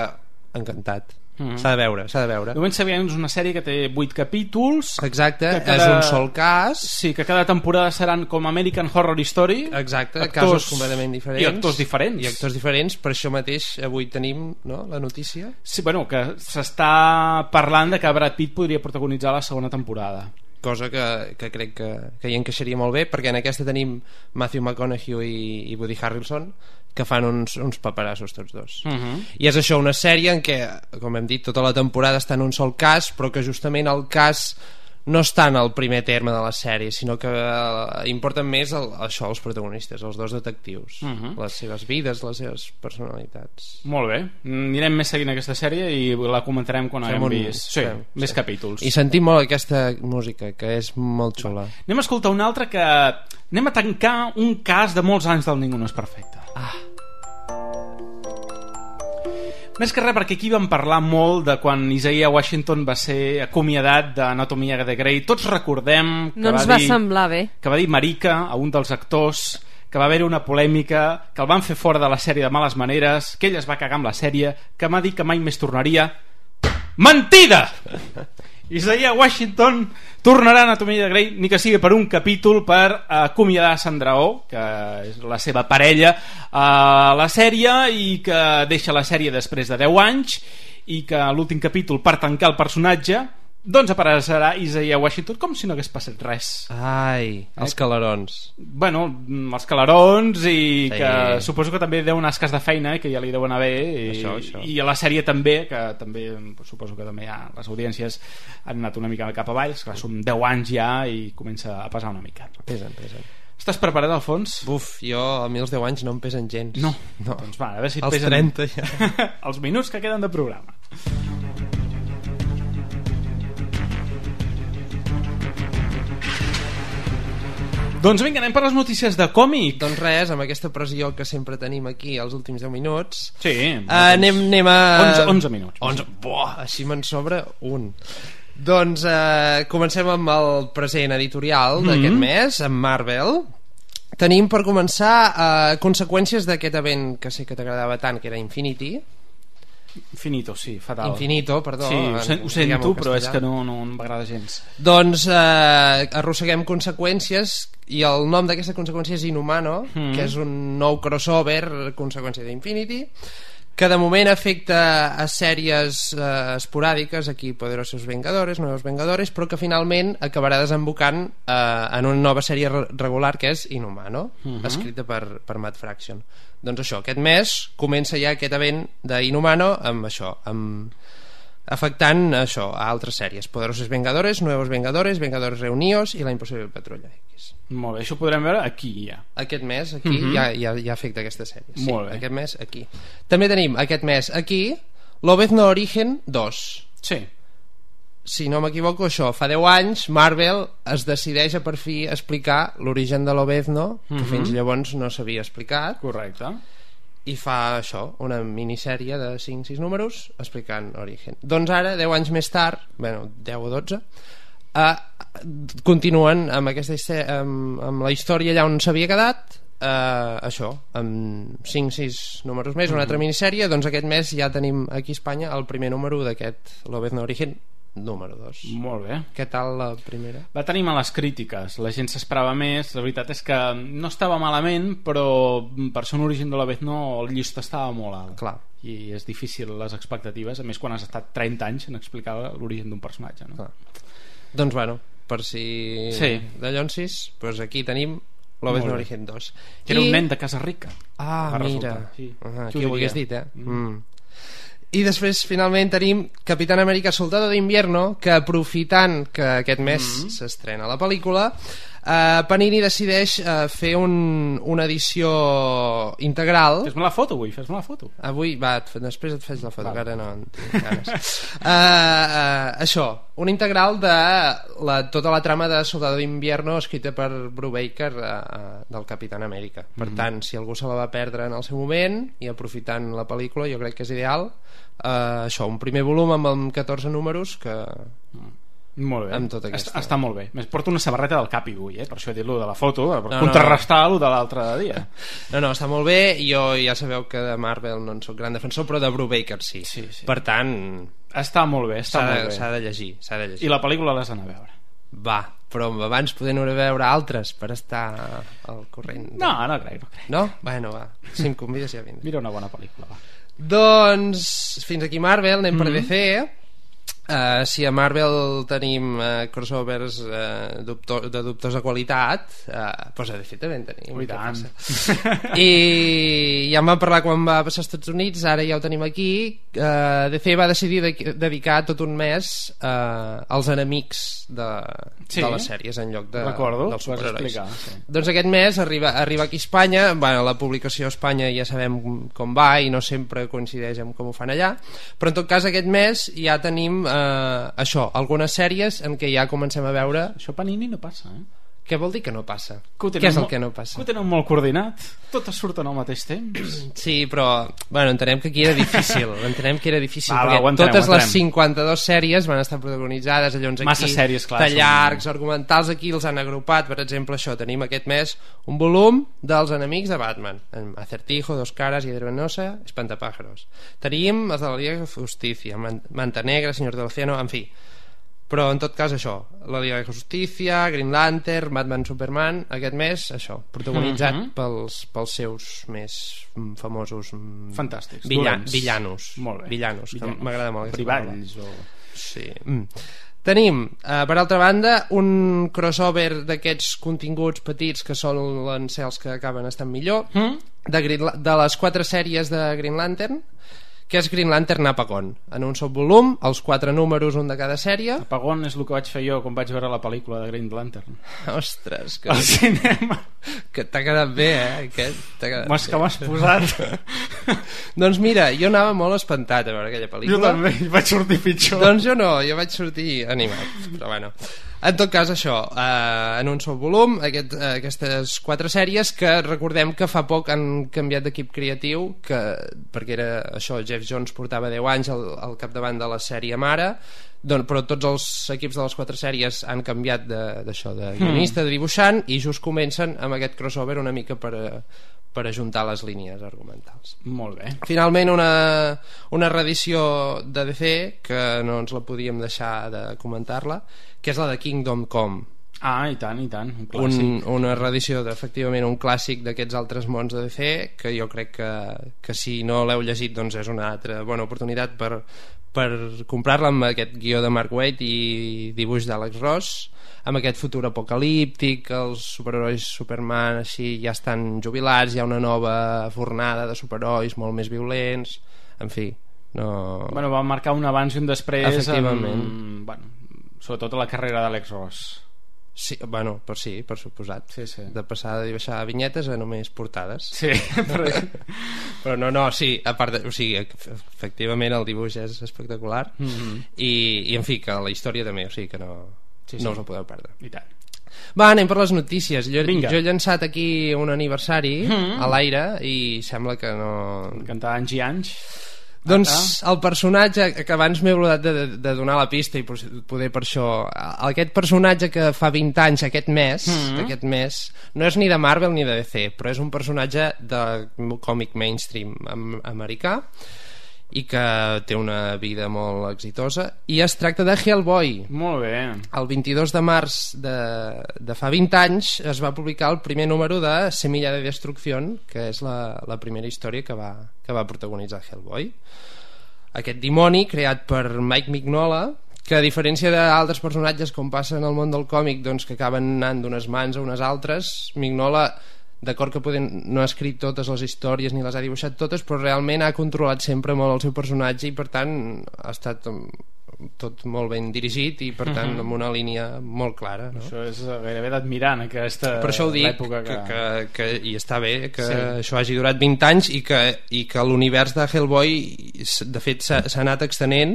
encantat. S'ha de veure. De moment sabíem que és una sèrie que té 8 capítols. Exacte, és un sol cas. Sí, que cada temporada seran com American Horror Story. Exacte, casos completament diferents. I actors diferents. Per això mateix avui tenim, no, la notícia. Sí, bueno, que s'està parlant de que Brad Pitt podria protagonitzar la segona temporada. Cosa que crec que hi encaixaria molt bé, perquè en aquesta tenim Matthew McConaughey i Woody Harrelson, que fan uns paperassos tots dos. I és això, una sèrie en què, com hem dit, tota la temporada està en un sol cas, però que justament el cas no està en el primer terme de la sèrie, sinó que importen més això, els protagonistes, els dos detectius, les seves vides, les seves personalitats. Molt bé, anirem més seguint aquesta sèrie i la comentarem quan haguem vist més capítols. I sentim molt aquesta música, que és molt xula. Anem a escoltar una altra que... Anem a tancar un cas de molts anys del Ningú no és perfecte. Més que res perquè aquí vam parlar molt de quan Isaiah Washington va ser acomiadat d'Anatomia de Grey. Tots recordem que va semblar bé, que va dir marica a un dels actors, que va haver una polèmica, que el van fer fora de la sèrie de males maneres, que ell es va cagar amb la sèrie, que m'ha dit que mai més tornaria. Mentida! Isaiah Washington tornarà a Anatomia de Grey, ni que sigui per un capítol, per acomiadar Sandra Oh, que és la seva parella a la sèrie, i que deixa la sèrie després de 10 anys, i que a l'últim capítol, per tancar el personatge, doncs apareixerà Isaiah Washington com si no hagués passat res. Ai, els calarons. Bueno, els calarons, i que suposo que també deu un escàs de feina, que ja li deu anar bé, això. I a la sèrie també, que també suposo que també ja les audiències han anat una mica cap avall, que són 10 anys ja i comença a pesar una mica. Pesen. Estàs preparat, Alfons? Buf, jo a mi els 10 anys no em pesen gens. No. Doncs va, a veure si et els pesen 30 ja. Els minuts que queden de programa. Doncs vinga, anem per les notícies de còmic. Doncs res, amb aquesta pressió que sempre tenim aquí els últims 10 minuts. Sí. Anem a... 11 minuts. 11. Així me'n sobra un. Doncs comencem amb el present editorial d'aquest mes, amb Marvel. Tenim per començar conseqüències d'aquest event que sé que t'agradava tant, que era Infinity. Infinito, sí, fatal. Infinito, perdó. Sí, ho sento, però és que no m'agrada gens. Doncs arrosseguem conseqüències, i el nom d'aquesta conseqüència és Inhumano, que és un nou crossover, conseqüència d'Infinity, que de moment afecta a sèries esporàdiques, aquí Poderosos Vengadores, Nuevos Vengadores, però que finalment acabarà desembocant en una nova sèrie regular, que és Inhumano, escrita per Matt Fraction. Doncs això, aquest mes comença ja aquest event d'Inhumano amb això, afectant això a altres sèries: Poderosos Vengadores, Nuevos Vengadores, Vengadores Reunidos i La Impossible Patrulla X. Molt bé, això ho podrem veure aquí ja. Aquest mes aquí ja afecta aquesta sèrie. Sí, molt bé. Aquest mes aquí. També tenim aquest mes aquí Lobezno Origen 2. Sí. Si no m'equivoco, això, fa 10 anys Marvel es decideix a per fi explicar l'origen de Lobezno, que fins llavors no s'havia explicat. Correcte. i fa això, una minissèrie de 5-6 números explicant Origen. Doncs ara, 10 anys més tard, bueno, 10 o 12, continuen amb amb la història allà on s'havia quedat, això, amb 5-6 números més, una altra minissèrie. Doncs aquest mes ja tenim aquí a Espanya el primer número d'aquest Lobezno Origen número 2. Molt bé. Què tal la primera? Va tenir males crítiques, la gent s'esperava més. La veritat és que no estava malament, però per ser un Origen de Lobezno el llist estava molt alt. Clar. I és difícil les expectatives, a més quan has estat 30 anys en explicar l'origen d'un personatge, no? Clar. Doncs bueno, per si de Llonsis, doncs aquí tenim Lobezno Origen 2. Que era un nen de casa rica. Mira, qui ho hagués dit, I després finalment tenim Capitán América Soldado de Invierno, que aprofitant que aquest mes s'estrena la pel·lícula, Panini decideix fer una edició integral. Fes-me la foto avui, fes-me la foto. Avui, va, després et fes la foto, que ara no en tinc ganes. Això, una integral de tota la trama de Soldado de Invierno escrita per Brubaker del Capitán América. Per tant, si algú se la va perdre en el seu moment i aprofitant la pel·lícula, jo crec que és ideal. Això, un primer volum amb 14 números que... Molt bé, amb tot aquesta... està molt bé. Porto una samarreta del Capi avui, per això he dit-lo de la foto, per contrarrestar lo de l'altre dia. No, està molt bé. Jo ja sabeu que de Marvel no en soc gran defensor, però de Brubaker sí. Per tant, està molt bé, s'ha de llegir. I la pel·lícula l'has d'anar a veure. Va, però abans podem anar a veure altres per estar al corrent. No crec. No? Bueno, va, si em convides ja vindré. Mira una bona pel·lícula, va. Doncs fins aquí Marvel, anem per DC. Si a Marvel tenim crossovers de dubtosa qualitat, doncs a DC també en tenim. I ja en vam parlar quan va passar als Estats Units, ara ja ho tenim aquí. DC va decidir dedicar tot un mes als enemics de les sèries en lloc dels superherois. Doncs aquest mes arriba aquí a Espanya. La publicació a Espanya ja sabem com va i no sempre coincideix amb com ho fan allà, però en tot cas aquest mes ja tenim això, algunes sèries en què ja comencem a veure. Això Panini no passa, Què vol dir que no passa? Què és el que no passa? Que ho tenen molt coordinat, totes surten al mateix temps. Sí, però entenem que aquí era difícil. Perquè totes les 52 sèries van estar protagonitzades allons aquí. Massa sèries, clar. De llargs, argumentals, aquí els han agrupat. Per exemple, això, tenim aquest mes un volum dels enemics de Batman. Acertijo, Dos Caras, Hiedra Venenosa, Espantapájaros. Tenim els de la Liga de Justicia, Manta Negra, Señor del Océano, en fi. Però en tot cas això, la Liga de Justicia, Green Lantern, Batman, Superman, aquest mes això, protagonitzat pels seus més famosos fantàstics, villanos. Molt bé. Villanos, que m'agrada molt. Brivalls Sí. Tenim, per altra banda, un crossover d'aquests continguts petits que solen ser els que acaben estant millor, de les 4 sèries de Green Lantern, que és Green Lantern Apagón, en un sol volum, els 4 números, un de cada sèrie. Apagón és el que vaig fer jo quan vaig veure la pel·lícula de Green Lantern. Ostres, que... al cinema. Que t'ha quedat bé, aquest que m'has posat. Doncs mira, jo anava molt espantat a veure aquella pel·lícula. Jo també, vaig sortir pitjor. Doncs jo no, jo vaig sortir animat, però bueno. En tot cas, això, en un sol volum, aquestes 4 sèries que recordem que fa poc han canviat d'equip creatiu, perquè era això, Jeff Jones portava 10 anys al capdavant de la sèrie mare, però tots els equips de les 4 sèries han canviat d'això, de guionista, de dibuixant, i just comencen amb aquest crossover una mica per ajuntar les línies argumentals. Molt bé. Finalment una reedició de DC que no ens la podíem deixar de comentar-la, que és la de Kingdom Come. I tant, un clàssic. Una reedició efectivament un clàssic d'aquests altres mons de DC, que jo crec que si no l'heu llegit doncs és una altra bona oportunitat per comprar-la, amb aquest guió de Mark Waid i dibuix d'Alex Ross, amb aquest futur apocalíptic. Els superherois Superman així ja estan jubilats, hi ha una nova fornada de superherois molt més violents, en fi, no... va marcar un abans i un després, efectivament. Sobretot a la carrera d'Alex Ross. Sí, per suposat. Sí. De passar de dibuixar vinyetes a només portades. Sí, però no, sí, a part o sigui, efectivament el dibuix és espectacular, i en fi, que la història també, o sigui que no us ho podeu perdre. I tant. Va, anem per les notícies. Jo he llançat aquí un aniversari a l'aire i sembla que no... Cantar anys i anys. Doncs el personatge, que abans m'he oblidat de donar la pista i poder per això, aquest personatge que fa 20 anys aquest mes, no és ni de Marvel ni de DC, però és un personatge de còmic mainstream americà i que té una vida molt exitosa, i es tracta de Hellboy. Molt bé. El 22 de març de fa 20 anys es va publicar el primer número de Semilla de Destrucción, que és la primera història que va protagonitzar Hellboy. Aquest dimoni creat per Mike Mignola, que a diferència d'altres personatges com passa en el món del còmic, doncs que acaben anant d'unes mans a unes altres, Mignola, d'acord que no ha escrit totes les històries ni les ha dibuixat totes, però realment ha controlat sempre molt el seu personatge i per tant ha estat tot molt ben dirigit i per tant amb una línia molt clara, no? Això és gairebé d'admirar en aquesta època. Per això ho dic, que i està bé que això hagi durat 20 anys i que l'univers de Hellboy de fet s'ha anat extenent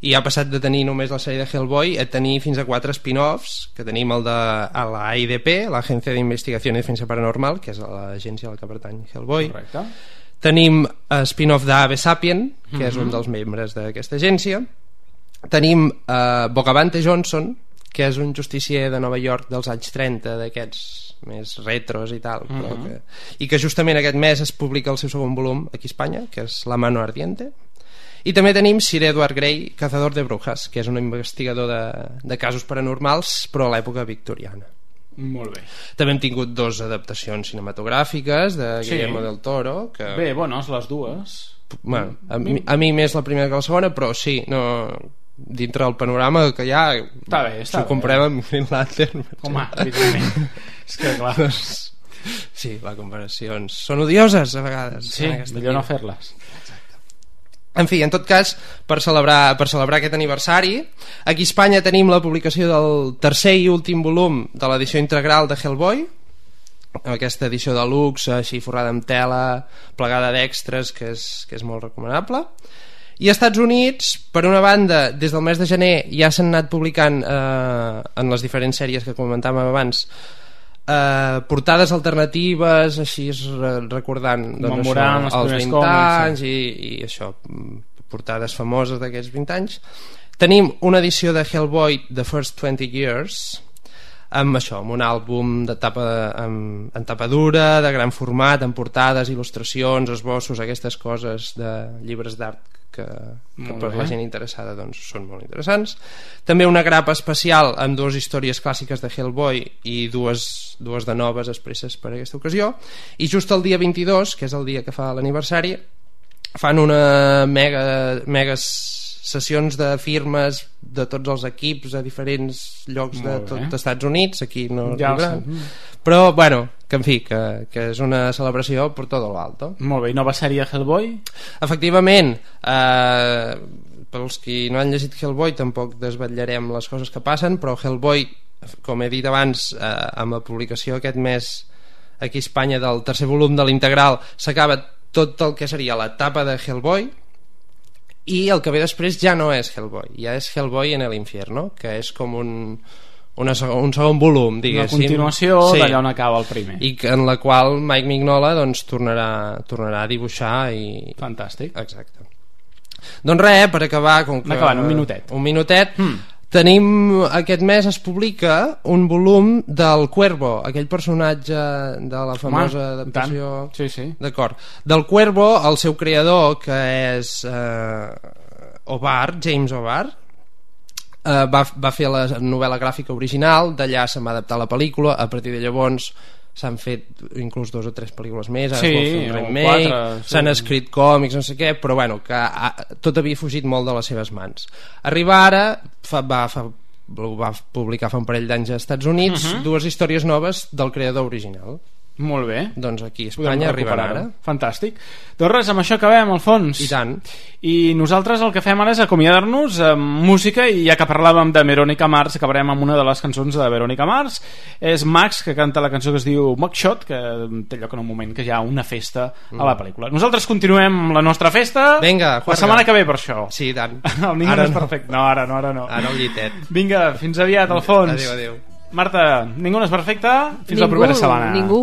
i ha passat de tenir només la sèrie de Hellboy a tenir fins a 4 spin-offs, que tenim el de la AIDP, l'Agència d'Investigació i Defensa Paranormal, que és l'agència a la que pertany Hellboy. Correcte. Tenim spin-off d'Ave Sapien, que és un dels membres d'aquesta agència. Tenim Bogavante Johnson, que és un justicier de Nova York dels anys 30, d'aquests més retros i tal, però i que justament aquest mes es publica el seu segon volum aquí a Espanya, que és La mano ardiente. I també tenim Sir Edward Grey, cazador de brujas, que és un investigador de casos paranormals, però a l'època victoriana. Molt bé. També hem tingut 2 adaptacions cinematogràfiques de Guillermo del Toro. Bé, bones les dues. Bueno, a mi més la primera que la segona, però sí, dintre del panorama que hi ha, si ho comparem amb Green Lantern. Home, evidentment. És que clar. Sí, les comparacions són odioses a vegades. Sí, millor no fer-les. En fi, en tot cas, per celebrar aquest aniversari, aquí a Espanya tenim la publicació del tercer i últim volum de l'edició integral de Hellboy, aquesta edició de luxe, així forrada amb tela, plegada d'extras, que és molt recomanable. I als Estats Units, per una banda, des del mes de gener ja s'han anat publicant en les diferents sèries que comentàvem abans, portades alternatives, així recordant doncs, els 20 anys i això, portades famoses d'aquests 20 anys. Tenim una edició de Hellboy The First 20 Years amb això, amb un àlbum de en tapa dura, de gran format, amb portades, il·lustracions, esbossos, aquestes coses de llibres d'art que per la gent interessada doncs, són molt interessants. També una grapa especial amb 2 històries clàssiques de Hellboy i dues de noves expresses per a aquesta ocasió, i just el dia 22, que és el dia que fa l'aniversari, fan una megas sessions de firmes de tots els equips a diferents llocs de tot els Estats Units, aquí no però bueno, que en fi, que és una celebració per tot l'alto. Molt bé, i nova sèrie Hellboy? Efectivament, pels qui no han llegit Hellboy tampoc desvetllarem les coses que passen, però Hellboy, com he dit abans, amb la publicació aquest mes aquí a Espanya del tercer volum de l'integral, s'acaba tot el que seria l'etapa de Hellboy, i el que ve després ja no és Hellboy, ja és Hellboy en el infierno, que és com un segon volum, diguéssim. Una continuació d'allà on acaba el primer. I en la qual Mike Mignola doncs, tornarà a dibuixar i... Fantàstic. Exacte. Doncs res, per acabar, un minutet. Tenim, aquest mes es publica un volum del Cuervo, aquell personatge de la famosa adaptació. D'acord. Del Cuervo, el seu creador, que és James O'Barr, va fer la novel·la gràfica original, d'allà se'n va adaptar la pel·lícula, a partir de llavors s'han fet inclús 2 o 3 pel·lícules més, ara es vol fer un remake, s'han escrit còmics, no sé què, però bueno, que tot havia fugit molt de les seves mans. Arriba ara, va publicar fa un parell d'anys als Estats Units 2 històries noves del creador original. Molt bé. Doncs aquí a Espanya arribarà ara. Fantàstic. Doncs res, amb això acabem, Alfons. I tant. I nosaltres el que fem ara és acomiadar-nos amb música, i ja que parlàvem de Veronica Mars, acabarem amb una de les cançons de Veronica Mars. És Max, que canta la cançó que es diu Mugshot, que té lloc en un moment que hi ha una festa a la pel·lícula. Nosaltres continuem amb la nostra festa. Vinga, la setmana que ve, per això. Sí, tant. El ningú no és perfecte. No, ara no. Ara el llitet. Vinga, fins aviat, Alfons. Adéu. Marta, ningú no és perfecte. Fins la propera setmana. Ningú.